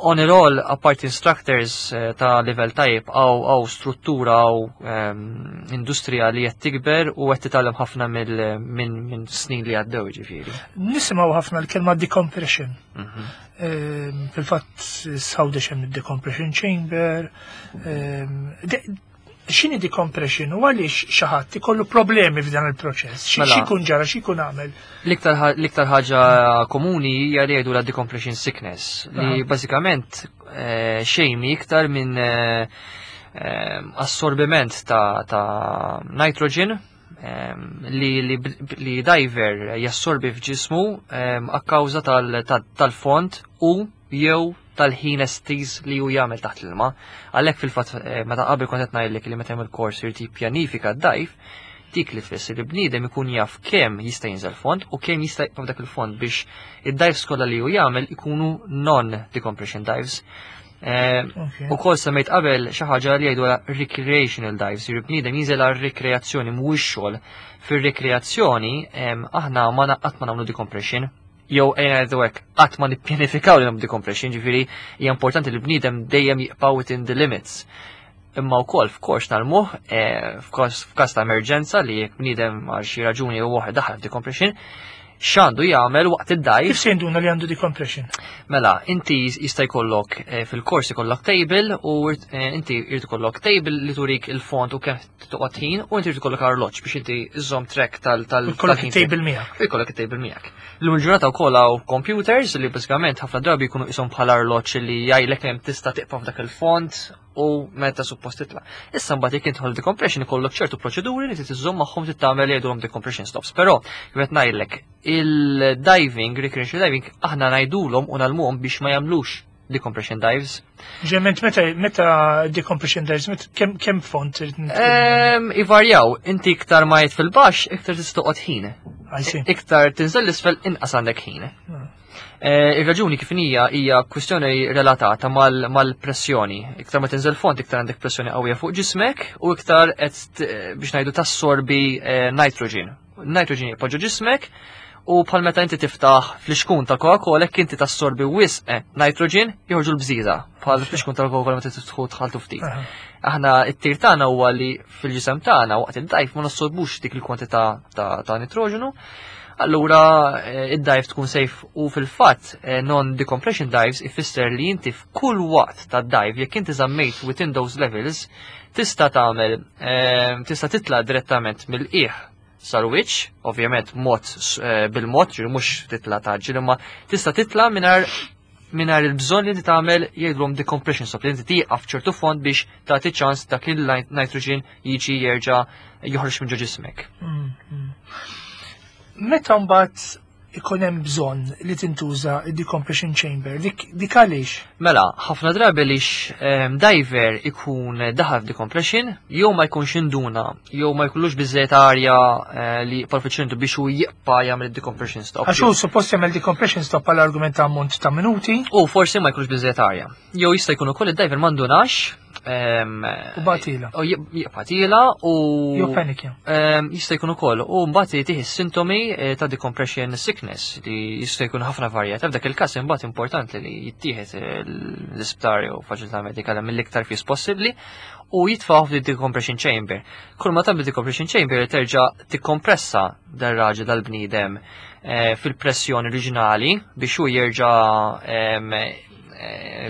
Speaker 2: on it all, apart instructors eh, ta' level tajjeb, għaw għaw struttura, għaw ehm, industrija li qed tikber u qed titgħallem ħafna minn snin li għaddew, ġifieri.
Speaker 1: Nisimgħu ħafna l-kelma decompression. Mhm. Ehm, fil-fatt s'Għawdex hemm decompression chamber. Ehm, x'inhi decompression u għaliex xi ħadd ikollu problemi f'dan il-proċess? Mela. X'ikun ġara, x'ikun għamel?
Speaker 2: L-iktar ħaġa komuni hija li jgħidu la decompression sickness, li bażikament eh, xejn iktar minn eh, eh, assorbiment ta' nitrogen li, li, li diver jassorbi f'ġismu a kawża tal-fond u jew tal-ħin estiż li hu jagħmel taħt l-ilma. Għalhekk fil-fatt eh, meta qabel kont qed ngħidlek li meta jagħmel kors irid jippjanifika d-dive, dik li tfisser li bniedem ikun jaf kemm jista' jinżel fond u kemm jista' jibqa' f'dak il-fond biex id-dives kollha li hu jagħmel ikunu non-decompression dives. Eh, u kol semmejt qabel xi ħaġa li jgħidu recreational dives, jiġifieri bniedem jinżel għal rekreazzjoni, mhuwiex xogħol. Fir-rekreazzjoni aħna ma qatt ma nagħmlu decompression, jew ejja ngħidu hekk, qatt ma nippjanifikaw li nagħmlu decompression, ġifieri hija importanti li bniedem dejjem jibqa' within the limits. Imma wkoll f'kors tal-muħ, eh, f'każ ta' emerġenza li jekk bniedem għal xi raġuni jew waħda daħal f'decompression, x'għandu jagħmel waqt id-dive?
Speaker 1: Kif se jinduna li għandu decompression?
Speaker 2: Mela, inti jista' jkollok eh, fil-kors ikollok table u eh, inti jrid ikollok table li turik il-fond u kemm toqgħod ħin u inti jrid ikollok arloġġ biex inti iżżomm track tal tal
Speaker 1: Ikollok it-table miegħek.
Speaker 2: U jkollok it-table miegħek. Illum il-ġurnata wkoll hawn computers li bażikament ħafna drabi jkunu qishom bħala arloġġ li jgħidlek kemm tista' tibqa' f'dak il-fond u meta suppost titla'. Issa mbagħad jekk intħol decompression ikollok ċertu proċeduri li trid iżżomm magħhom, trid tagħmel li jgħidulhom decompression stops. Però kif qed ngħidlek, il-diving, recreational diving, aħna ngħidulhom u ngħallmuhom biex ma jagħmlux decompression dives.
Speaker 1: Ġement meta meta decompression dives, meta kemm kemm fond trid
Speaker 2: Ehm, Ivarjaw, inti iktar ma jgħid fil-baxx, iktar tista' toqgħod ħin.
Speaker 1: I see.
Speaker 2: Iktar tinżel l-isfel, inqas għandek ħin. Eh, Ir-raġuni kif hija hija kwistjoni relatata mal- mal-pressjoni. Iktar ma tinżel fond, iktar għandek pressjoni qawwija fuq ġismek u iktar qed t- biex ngħidu tassorbi eh, nitrogen. Nitrogen jibqa' ġo ġismek u bħal meta inti tiftaħ flixkun ta' Coca-Cola, jekk inti tassorbi wisq eh, nitrogen, joħorġu l-bżiża bħal flixkun tal Coca-Cola meta tiftħu tħaltu ftit.
Speaker 1: Aha.
Speaker 2: Aħna it-tir tagħna huwa li fil-ġisem tagħna waqt id-dive ma nassorbux dik il-kwantità ta', ta nitroġenu. Allura eh, id-dive tkun safe u fil-fatt eh, non-decompression dives ifisser li inti f'kull waqt ta' dive, jekk inti żammejt within those levels, tista' tagħmel eh, tista' titla' direttament mill-qiegħ sal-wiċċ, ovvjament mod eh, bil-mod, ġifieri mhux titla' taġġel, imma tista' titla' mingħajr mingħajr il-bżonn li inti tagħmel jgħidulhom decompression stop, li inti tieqaf ċertu fond biex tagħti ċans dak il-nitrogen jiġi jerġa' joħroġ minn ġo ġismek.
Speaker 1: Mm, mm. Meta mbagħad ikun hemm bżonn li tintuża id-decompression chamber, dik dik għaliex?
Speaker 2: Mela, ħafna drabi lix um, diver ikun daħal f'decompression, jew ma jkunx induna, jew ma jkollux biżejjed arja eh, li palfiċentu biex hu jibqa' jagħmel decompression stop.
Speaker 1: Għax hu suppost jagħmel decompression stop għal argument ta' ammont ta' minuti.
Speaker 2: U forsi ma jkunx biżejjed arja. Jew jista' jkun ukoll id-diver ma ndunax
Speaker 1: U batila.
Speaker 2: U batila u.
Speaker 1: Jew panikja.
Speaker 2: Jista' jkun ukoll. U mbagħad jtih is-sintomi eh, ta' decompression sickness li jista' jkun ħafna varjat. F'dak il-każ imbagħad importanti li jittieħed l-isptar jew faċilità medika mill-iktar fis possibbli u jitfgħu f'di decompression chamber. Kull ma tagħmel decompression chamber terġa' tikkompressa dar-raġel, dal-bniedem, eh, fil-pressjoni oriġinali biex hu jerġa' eh,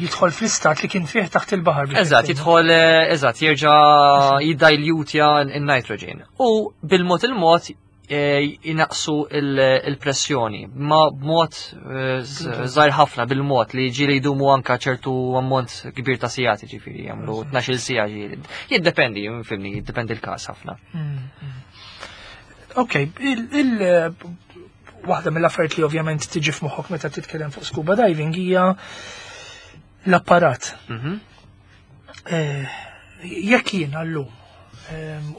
Speaker 1: jidħol fl-istat li kien fih taħt il-baħar.
Speaker 2: Eżatt, jidħol, eh, eżatt, jerġa' jiddilutja il-nitrogen. U bil-mod il-mod jinaqsu il-pressjoni, ma b'mod żgħir ħafna, bil-mod li ġieli jdumu anka ċertu ammont kbir ta' sigħat, ġifieri jagħmlu tnax-il siegħa ġieli. Jiddependi, fhimni, jiddependi l-każ ħafna.
Speaker 1: Mm, mm. Ok, il waħda mill-affarijiet li ovvjament tiġi f'moħħok meta titkellem fuq scuba diving hija l-apparat.
Speaker 2: Mhm.
Speaker 1: Eh, jekk jien llum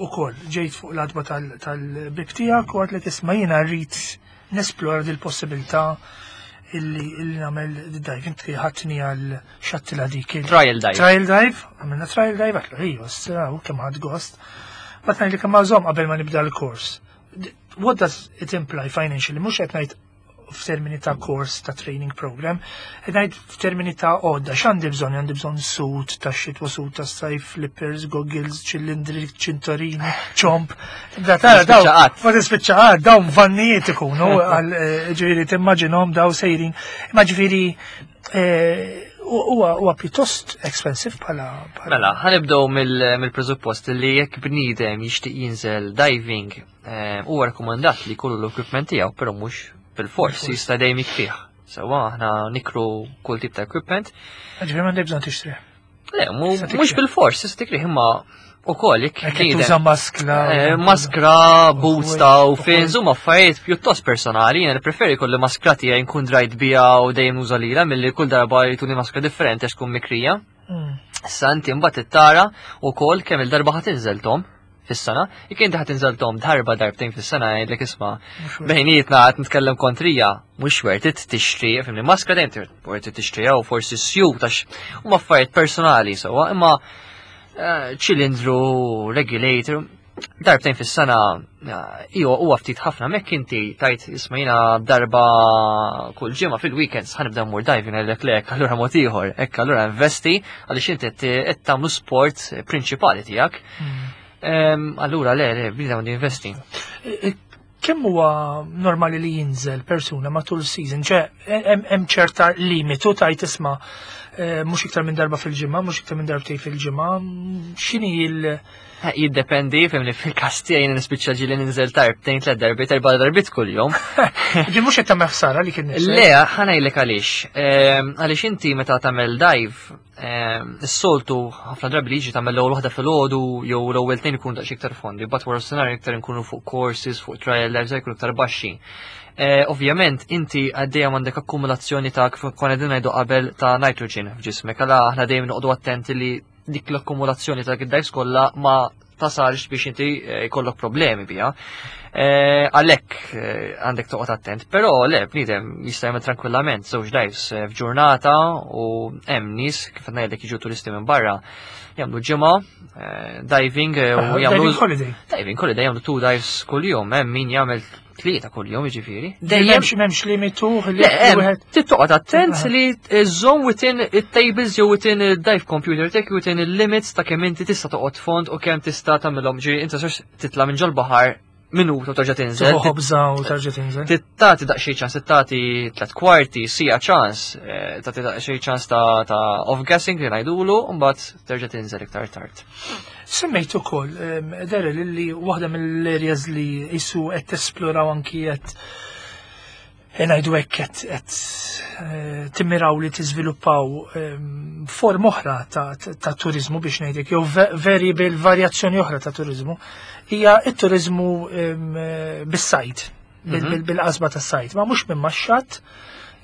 Speaker 1: ukoll ġejt fuq l-għatba tal-bib tiegħek u għedtlek, "Isma', jiena rrid nesplora dil-possibilità illi illi nagħmel dive." Inti ħadtni għal xattila dik.
Speaker 2: Trial dive.
Speaker 1: Trial dive, għamilna trial dive, għedtlu, ejju, u kemm ħadt gost. But ngħidlek imma żomm qabel ma nibda l-kors. What does it imply financially? Mhux qed ngħid f'termini ta' course ta' training program, qed ngħid f'termini ta' għodda, x'għandi bżonn? Għandi bżonn suit ta' xitwa, suit ta' sajf, flippers, goggles, ċillindri, ċintorini, ċomp. Da tara daw, ma tispiċċa, dawn vannijiet ikunu, eh, ġifieri timmaġinhom daw sejrin. Ma ġifieri eh, huwa pjuttost expensive bħala.
Speaker 2: Mela, ħa nibdew mill-presuppost li jekk bniedem jixtieq jinżel diving, eh, huwa rakkomandat li jkollu l-equipment tiegħu, però mhux bil-fors, jista' dejjem jikrih. Sewwa, aħna nikru kull tip ta' equipment.
Speaker 1: Ġifieri m'għandek bżonn tixtri.
Speaker 2: Le, mhux bil-fors, tista' tikrih, imma ukoll jekk
Speaker 1: tuża maskra.
Speaker 2: Eh, maskra, boots ta' u fins, huma affarijiet pjuttost personali, jiena preferi kolli maskra tiegħi nkun drajt biha u dejjem nuża lilha milli kull darba jtuni maskra differenti għax tkun mikrija.
Speaker 1: Mm.
Speaker 2: Issa inti mbagħad tara wkoll kemm il-darba ħa tinżel tom fis-sena. Jekk inti ħa tinżel tom darba, darbtejn fis-sena, jgħidlek, "Isma', bejnietna qed nitkellem kontrija, mhux worth it tixtri," fhimni, maskra dejjem worth it tixtri jew forsi suit għax huma affarijiet personali sewwa, imma eh, ċilindru, regulator, darbtejn fis-sena iwa huwa ftit ħafna. Mekk inti tajt, "Isma', jiena darba kull ġimgħa fil-weekends ħa nibda mmur diving," għalek lek, allura mod ieħor, hekk allura investi għaliex inti qed tagħmlu sport prinċipali tiegħek.
Speaker 1: Mm.
Speaker 2: Allura le, le, bniedem għandu investi.
Speaker 1: E, e, kemm huwa normali li jinżel persuna matul season? Ċe, hemm ċerta limitu tajt, isma', e, mhux iktar minn darba fil-ġimgħa, mhux iktar minn darbtejn fil-ġimgħa, x'inhi il-
Speaker 2: Jiddependi, fhimni, fil-każ tiegħi nispiċċa ġieli ninżel darbtejn, tliet darbiet, erba' darbiet kuljum.
Speaker 1: Ġi mhux qed tagħmel ħsara li kien
Speaker 2: Le, ħa ngħidlek għaliex. Għaliex inti meta tagħmel dive, is-soltu ħafna drabi li jiġi tagħmel l-ewwel waħda filgħodu jew l-ewwel tnejn ikunu daqsxejn iktar fondi, but wara s iktar nkunu fuq courses, fuq trial dives jkunu iktar baxxi. Eh, ovvjament, inti għaddejja għandek akkumulazzjoni ta', kif konna qegħdin ngħidu qabel, ta' nitrogen f'ġismek, għala aħna dejjem noqogħdu attenti li dik l-akkumulazzjoni ta' dives kollha ma tasalx biex inti eh, jkollok problemi biha. Eh, għalhekk għandek toqgħod attent, però le, bniedem jista' jagħmel tranquillament żewġ dives f'ġurnata u hemm nies, kif qed ngħidlek, jiġu turisti minn barra, jagħmlu ġimgħa diving u
Speaker 1: jagħmlu diving holiday.
Speaker 2: Diving holiday, jagħmlu two dives kuljum, hemm min jagħmel tlieta kuljum, jiġifieri.
Speaker 1: Dejjem m'hemmx limitu
Speaker 2: li wieħed. Tittoqgħod attent li żżomm within it-tables jew within il-dive computer tek, within il-limits ta' kemm inti tista' toqgħod fond u kemm tista' tagħmilhom. Ġifieri inti titla' minn ġol-baħar minuta u terġa' tinżel.
Speaker 1: Ħobża u terġa' tinżel.
Speaker 2: Tagħti daqsxejn ċans, tagħti tliet kwarti, siegħa ċans, eh, tagħti daqsxejn ċans ta' off-gassing li ngħidulu, u mbagħad terġa' tinżel iktar tard.
Speaker 1: Semmejt ukoll, Daryl, li waħda mill-areas li jisu qed tesploraw, anki qed ngħidu hekk, qed eh, timmiraw li tiżviluppaw form oħra ta' turizmu, biex ngħidlek, jew variable, varjazzjoni oħra ta' turizmu, hija it-turizmu bis-sajd, mhm. bil-qasba tas-sajd, ma mhux minn max-xatt,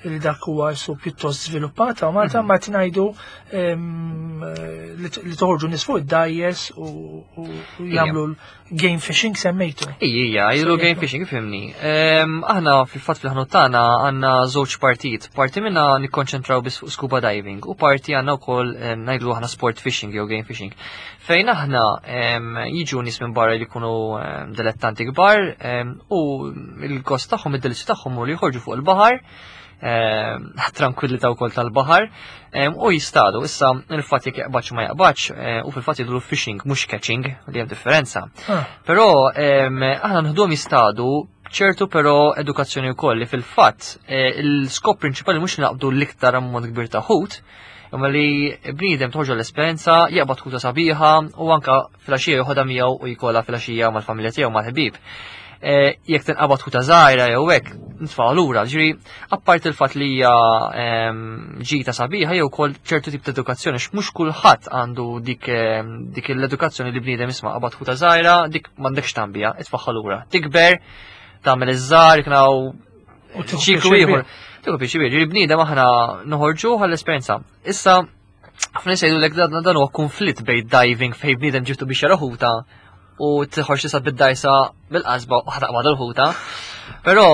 Speaker 1: li dak huwa su pjuttost żviluppat u Malta, ma ngħidu li toħorġu nies fuq id-dgħajjes u jagħmlu game fishing semmejtu.
Speaker 2: Ija, jagħmlu game fishing, fhimni. Aħna fil-fatt fil-ħanut tagħna għandna żewġ partijiet. Parti minna nikkonċentraw biss fuq scuba diving u parti għandna wkoll ngħidu aħna sport fishing jew game fishing. Fejn aħna jiġu nies minn barra li jkunu dilettanti kbar u l-gost tagħhom, id-delizzju tagħhom u li joħorġu fuq il-baħar, tranquillità wkoll tal-baħar u jistadu. Issa il-fatt jekk jaqbadx ma jaqbadx, u fil-fatt jgħidu fishing mhux catching, li hemm differenza.
Speaker 1: Ah.
Speaker 2: Però aħna nħduhom jistadu ċertu però edukazzjoni wkoll li fil-fatt eh, il-skop prinċipali mhux naqbdu l-iktar ammont kbir ta' ħut, imma li bniedem toħġu l-esperjenza, jaqbad ħuta sabiħa u anka filgħaxija joħodha miegħu u jkollha filgħaxija mal-familja tiegħu, mal-ħbieb. Eh, jekk tinqabad ħuta żgħira jew hekk, nitfgħu lura. Ġifieri, apparti il-fatt li hija ehm, ġita sabiħa jew ukoll ċertu tip ta' edukazzjoni, mhux kulħadd għandu dik ehm, dik l-edukazzjoni li bniedem isma' qabad ħuta żgħira, dik m'għandekx tambija, itfaħħa lura. Tikber, tagħmel iż-żgħar, knaw ċiklu ieħor. Tieħu pjaċir, ġifieri bniedem aħna noħorġu għall-esperjenza. Issa, ħafna jgħidu lek dan huwa konflitt bejn diving fejn bniedem ġibtu biex jara ħuta u tħorġ tisa bid-dajsa bil-qasba u ħataqbad l-ħuta. Però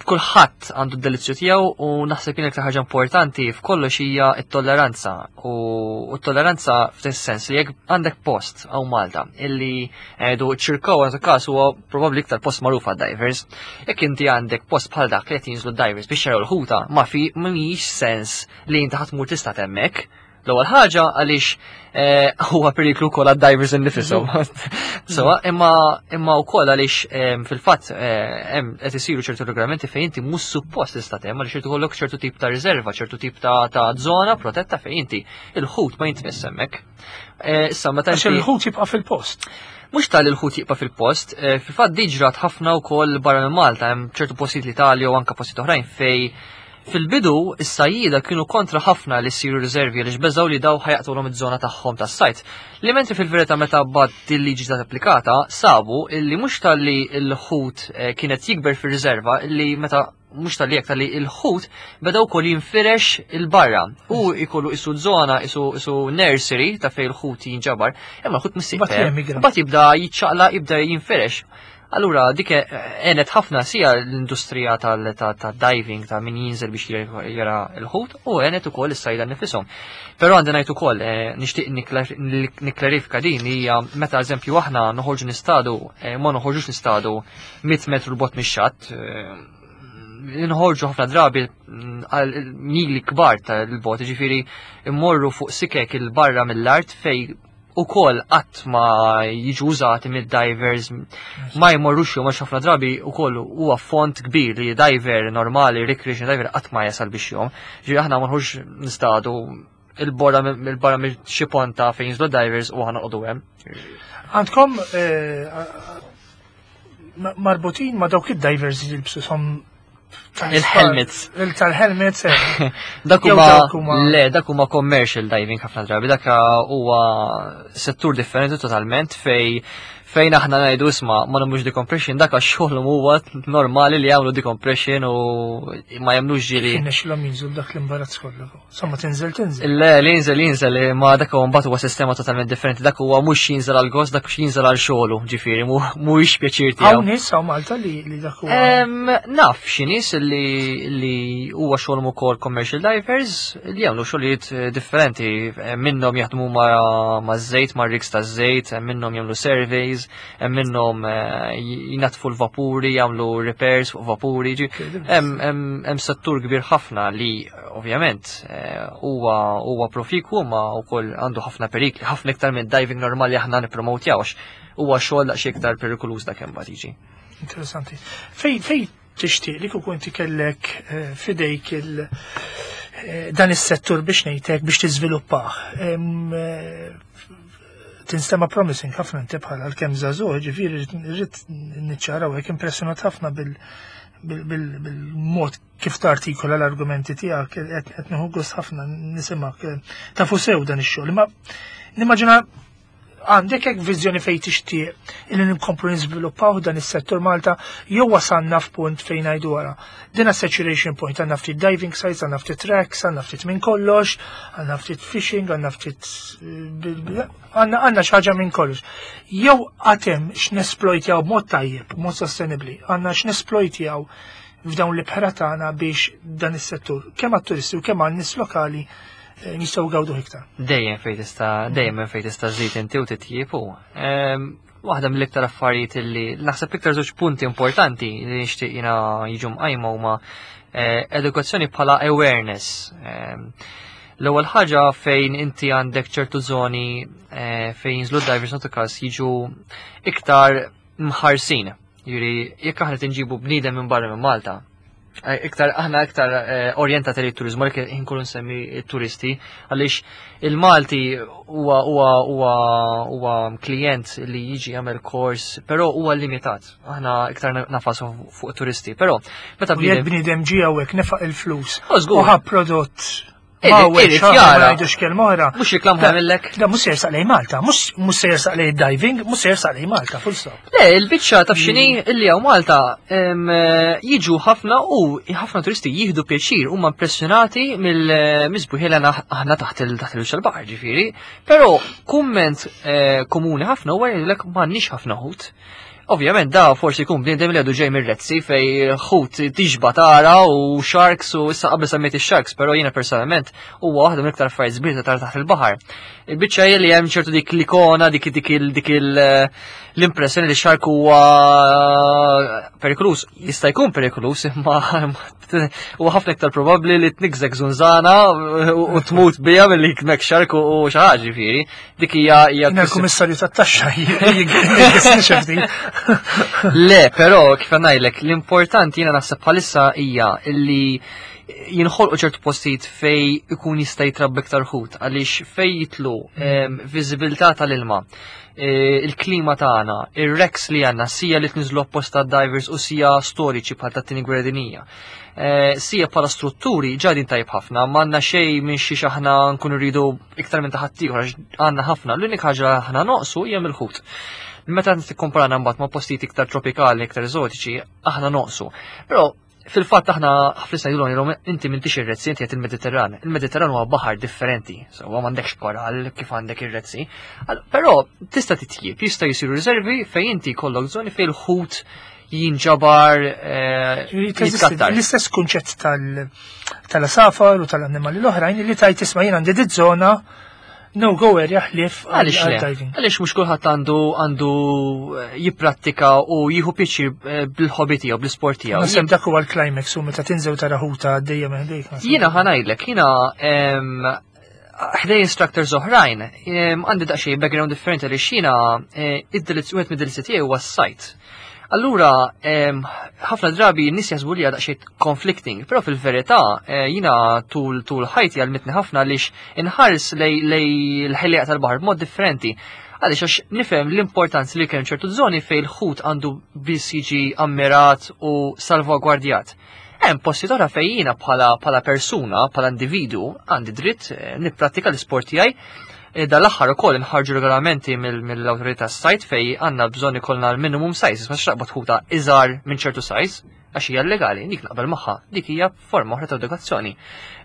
Speaker 2: kulħadd għandu d-delizzju tiegħu u naħseb jien iktar ħaġa importanti f'kollox hija t-tolleranza, u t-tolleranza f'tis sens li jekk għandek post hawn Malta illi għedu ċirkaw għandu każ huwa probabbli iktar post magħruf għad-divers. Jekk inti għandek post bħal dak li qed jinżlu divers biex jaraw l-ħuta, ma fi mhijiex sens li inti ħa tmur tista' hemmhekk. L-ewwel ħaġa għaliex eh, huwa periklu wkoll għad-divers innifisom. So, imma imma wkoll għaliex eh, fil-fatt eh, hemm qed isiru ċertu regolamenti fejn inti mhux suppost tista' hemm għaliex irid ikollok ċertu tip ta' riserva, ċertu tip ta' ta' żona protetta fejn inti il-ħut ma jintmiss hemmhekk. Issa meta
Speaker 1: Għax il-ħut jibqa' fil-post.
Speaker 2: Mhux tal il-ħut jibqa' fil-post, fil-fatt diġrat ħafna wkoll barra minn Malta, hemm ċertu postijiet l-Italja u anke postijiet oħrajn fej fil-bidu, is-sajjida kienu kontra ħafna li ssiru riservi li beżaw li daw ħa jaqtgħulhom iż-żona tagħhom tas-sajt. Li mentri fil-verità meta bad il-liġi ta' applikata, sabu illi mhux tal-li l-ħut eh, kienet jikber fir-riserva, illi meta mhux tal-li jek tal-li il-ħut beda wkoll jinfirex il-barra. U jkollu isu żona, isu isu nursery ta' fej il-ħut jinġabar, imma l-ħut
Speaker 1: Mbagħad
Speaker 2: Mbagħad jibda jiċċaqla, jibda jinfirex. Allura dik għenet ħafna sija l-industrija tal-diving, ta' min jinżel biex jara l-ħut, u għenet ukoll is-sajda nifisom. Però għandi ngħid ukoll, eh, nixtieq nikklarifika din hija meta eżempju aħna noħorġu nistadu, eh, ma noħorġux nistadu mitt metru 'l bogħod mix-xatt, eh, nħorġu ħafna drabi mm, għal mili kbar tal-bot, ġifieri immorru fuq sikek il-barra mill-art fej u kol qatt ma jiġu użati mid-divers, ma jmorrux jom, għax ħafna drabi u koll huwa font kbir li diver normali, recreation diver qatt ma jasal biex jom. Ġifieri aħna ma nħux nistadu il-borra il-barra mill xi ponta fejn jinżlu divers u aħna noqogħdu hemm.
Speaker 1: Għandkom eh, marbutin ma dawk id-divers li jilbsu som
Speaker 2: Il-helmets.
Speaker 1: Il-tal-helmets. eh.
Speaker 2: Dak
Speaker 1: Jew
Speaker 2: huma
Speaker 1: dawk huma-
Speaker 2: le, dak huma commercial diving ħafna drabi, dak huwa settur differenti totalment fej fejn aħna ngħidu isma' ma nagħmlux decompression, dak għax xogħolhom huwa normali li jagħmlu decompression u ma jagħmlux ġili.
Speaker 1: Kien xilhom jinżlu dak l-imbarazz kollu. Somma tinżel tinżel.
Speaker 2: Le, li jinżel jinżel, ma dak huwa mbagħad huwa sistema totalment differenti, dak huwa mhux jinżel għal gost, dak jinżel għal xogħlu, ġifieri mhuwiex pjaċir tiegħu.
Speaker 1: Hawn nies hawn Malta li li dak huwa.
Speaker 2: Em, Naf xi nies li li huwa xogħolhom ukoll commercial divers li jagħmlu xogħlijiet eh, differenti, Eh, minnhom jaħdmu ma' ma' żejt, ma' rigs ta' żejt, minnhom jagħmlu surveys, hemm minnhom eh, jnaddfu l-vapuri, jagħmlu repairs fuq vapuri, ġi- hemm hemm hemm settur kbir ħafna li ovvjament eh, huwa huwa profiku ma wkoll għandu ħafna perikli, ħafna iktar minn diving normali aħna nippromotjaw għax huwa xogħol daqsxejn iktar perikoluż dak hemm bagħad jiġi.
Speaker 1: Interessanti. Fej fej tixtieq li kieku inti kellek eh, fidejk il eh, dan is-settur biex ngħidlek biex tiżviluppah. Em, eh, Tinstema promising ħafna inti bħala l-kemm żagħżugħ, ġifieri rrid niċċaraw hekk, impressjonat ħafna bil bil- bil- bil-mod kif tartikola l-argumenti tiegħek, qed qed nieħu gost ħafna nisimgħek. Tafu sew dan ix-xogħol. Imma nimmaġina Għandek hekk viżjoni fejn tixtieq illi nkomplu niżviluppaw dan is-settur Malta jew wasalna f'punt fejn ngħidu wara? Dina saturation point, għandna ftit diving sites, għandna ftit wrecks, għandna ftit minn kollox, għandna ftit fishing, għandna ftit għandna għandna xi ħaġa minn kollox. Jew għad hemm x'nesplojtjaw b'mod tajjeb, b'mod sostenibbli, għandna x'nesplojtjaw f'dawn l-ibħra tagħna biex dan is-settur kemm għat-turisti u kemm għan-nies lokali eh, nistgħu gawdu iktar?
Speaker 2: Dejjem fejn tista' dejjem fejn tista' żżid inti u titjiebu. Ehm, waħda mill-iktar affarijiet li naħseb, iktar żewġ punti importanti li nixtieq jiena jiġu mqajma huma eh, edukazzjoni bħala awareness. Ehm, L-ewwel ħaġa fejn inti għandek ċertu żoni eh, fejn jinżlu divers nauticals jiġu iktar mħarsin. Jiġifieri, jekk aħna tinġibu bniedem minn barra minn Malta, eh, iktar aħna iktar eh, orjentati li turizmu, għalhekk inkunu nsemmi turisti, għaliex il-Malti huwa huwa huwa huwa klient li jiġi jagħmel kors, però huwa limitat. Aħna iktar nagħfsu fuq turisti, però
Speaker 1: meta bniedem bniedem ġie hawnhekk, nefaq il-flus u ħa prodott
Speaker 2: ma
Speaker 1: jara. Ngħidux kelma oħra.
Speaker 2: Mhux reklam ħamillek.
Speaker 1: Da mhux se jersaq lejn Malta, mhux se jersaq lejn diving, mhux se jersaq lejn Malta, full stop.
Speaker 2: Le, il-biċċa taf x'inhi, illi hawn Malta jiġu ħafna u ħafna turisti jieħdu pjaċir, huma impressjonati mill-misbuħi li aħna taħt il-taħt il-baħar ġifieri, però kumment eh, komuni ħafna huwa jgħidlek m'għandniex ħafna ħut. Ovvjament da forsi jkun bniedem li għadu ġej mir-Red Sea fej ħut tixba tara u sharks, u issa qabel semmejt ix-sharks, però jiena personalment huwa waħda mill-iktar affarijiet sbieħ tara taħt il-baħar. Il-biċċa hija li hemm ċertu dik l-ikona, dik dik dik l-impressjoni li shark huwa perikolus. Jista' jkun perikolus, imma huwa ħafna iktar probabbli li tnigżek żunżana u tmut bija milli jikmek shark u xi ħaġa ġifieri. Dik hija
Speaker 1: hija. Il-kummissarju tat-taxxa.
Speaker 2: Le, però kif ngħidlek, l-importanti jiena naħseb bħalissa hija illi jinħolqu ċertu postijiet fej ikun jista' jitrabba iktar ħut, għaliex fej jitlu viżibilità tal-ilma, e, il-klima tagħna, ir-wrecks li għandna, sija li tniżlu apposta divers u sija storiċi bħal tat-tieni gwerra dinija. E, sija bħala strutturi ġadin tajb ħafna, m'għandna xejn minn xi aħna nkunu rridu iktar minn ta' ħaddieħor għax għandna ħafna, l-unika ħaġa aħna noqsu hija mill-ħut. Meta tikkomparana mbagħad ma' postijiet iktar tropikali, iktar eżotiċi, aħna noqsu. Però fil-fatt aħna ħafna ngħidulhom jgħidulhom inti m'intix ir-Red Sea, inti qed il-Mediterran. Il-Mediterran huwa baħar differenti, so m'għandekx koral kif għandek ir-Red Sea. Però tista' titjib, jista' jisiru riservi fejn inti jkollok żoni fejn il-ħut jinġabar, eh,
Speaker 1: jitkattar. L-istess kunċett tal-għasafar u tal-annimali l-oħrajn li tajt isma' jien għandi dit-żona no go area ħlief
Speaker 2: Għaliex le? Diving. Għaliex mhux kulħadd għandu għandu eh, jipprattika u jieħu pjaċir eh, bil-hobby tiegħu, bl-isport tiegħu.
Speaker 1: Naħseb dak huwa l-climax u meta tinżel tara ħuta għaddejja minn ħdejk.
Speaker 2: Jiena ħa ngħidlek, jiena ħdej instructors oħrajn, għandi daqsxejn background differenti li xina eh, id-delizz wieħed mid-delizzi tiegħi huwa s-sajd. Allura, ħafna drabi n-nies jaħsbu li daqsxejn conflicting, però fil-verità eh, jiena tul tul ħajti għallmitni ħafna għaliex inħares lej l-ħelliqa tal-baħar b'mod differenti. Għaliex għax nifhem l-importanza li kemm ċertu żoni fejn il-ħut għandu biss jiġi ammirat u salvagwardjat. Hemm posti oħra fejn jiena bħala bħala persuna, bħala individu, għandi dritt eh, nipprattika l-isport tiegħi. E, dal-aħħar ukoll inħarġu regolamenti mill-awtorità sajd fej għandna bżonn ikollna l-minimum size, ma xraqba tħuta iżgħar minn ċertu size, għax hija legali, dik naqbel magħha, dik hija forma oħra ta' edukazzjoni.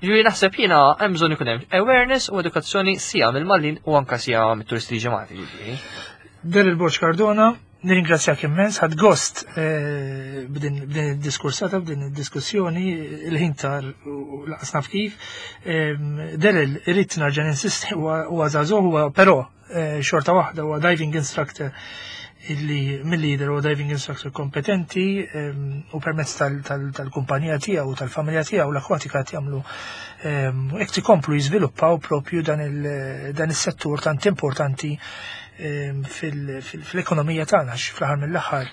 Speaker 2: Ġifieri naħseb jiena hemm bżonn ikun hemm awareness u edukazzjoni sija mill-Maltin u anka sija mit-turisti ġemati ġifieri.
Speaker 1: Daryl Borg Cardona, nirringrazzjak immens, ħadt gost eh, b'din id-diskursata, b'din id-diskussjoni, il-ħin tar u lanqas naf kif. Daryl, irrid nerġa' ninsisti, huwa żagħżugħ, huwa però eh, xorta waħda huwa diving instructor illi mill-lider huwa diving instructor kompetenti u permezz tal-kumpanija tiegħu u tal-familja tiegħu l-Akwatika jagħmlu hekk ikomplu jiżviluppaw propju dan is-settur tant importanti fil-ekonomija tagħna, fl-aħħar mill-aħħar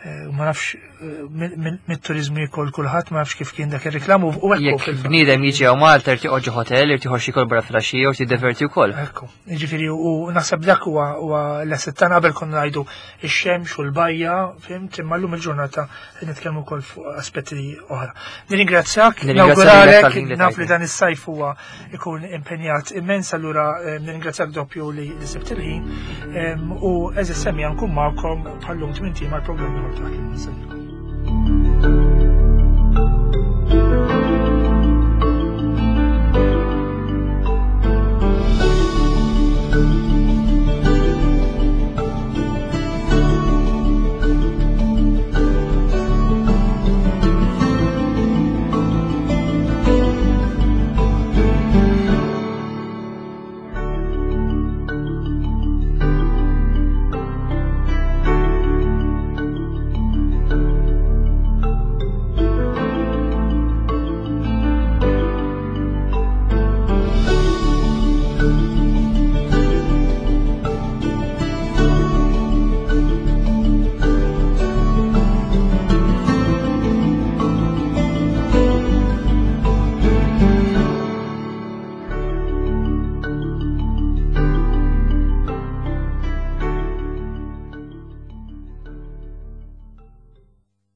Speaker 1: Eh, ma nafx eh, mit-turizmu jikol kulħadd, ma nafx kif kien dak ir-reklam u ekku.
Speaker 2: Jekk bniedem jiġi hawn Malta irid joqgħod hotel, irid joħroġ jikol barra filgħaxija u tiddeverti wkoll.
Speaker 1: Ekku, jiġifieri u naħseb dak huwa huwa l-asset tagħna. Qabel konna ngħidu ix-xemx u l-bajja, fhimt, imma llum il-ġurnata qed nitkellmu wkoll fuq aspetti oħra. Nirringrazzjak, nawguralek, naf li dan is-sajf huwa ikun impenjat immens, allura eh, nirringrazzjak doppju li sibt il-ħin u għeżież semmiegħa nkun magħkom bħallum tmint mal-programm ieħor ta'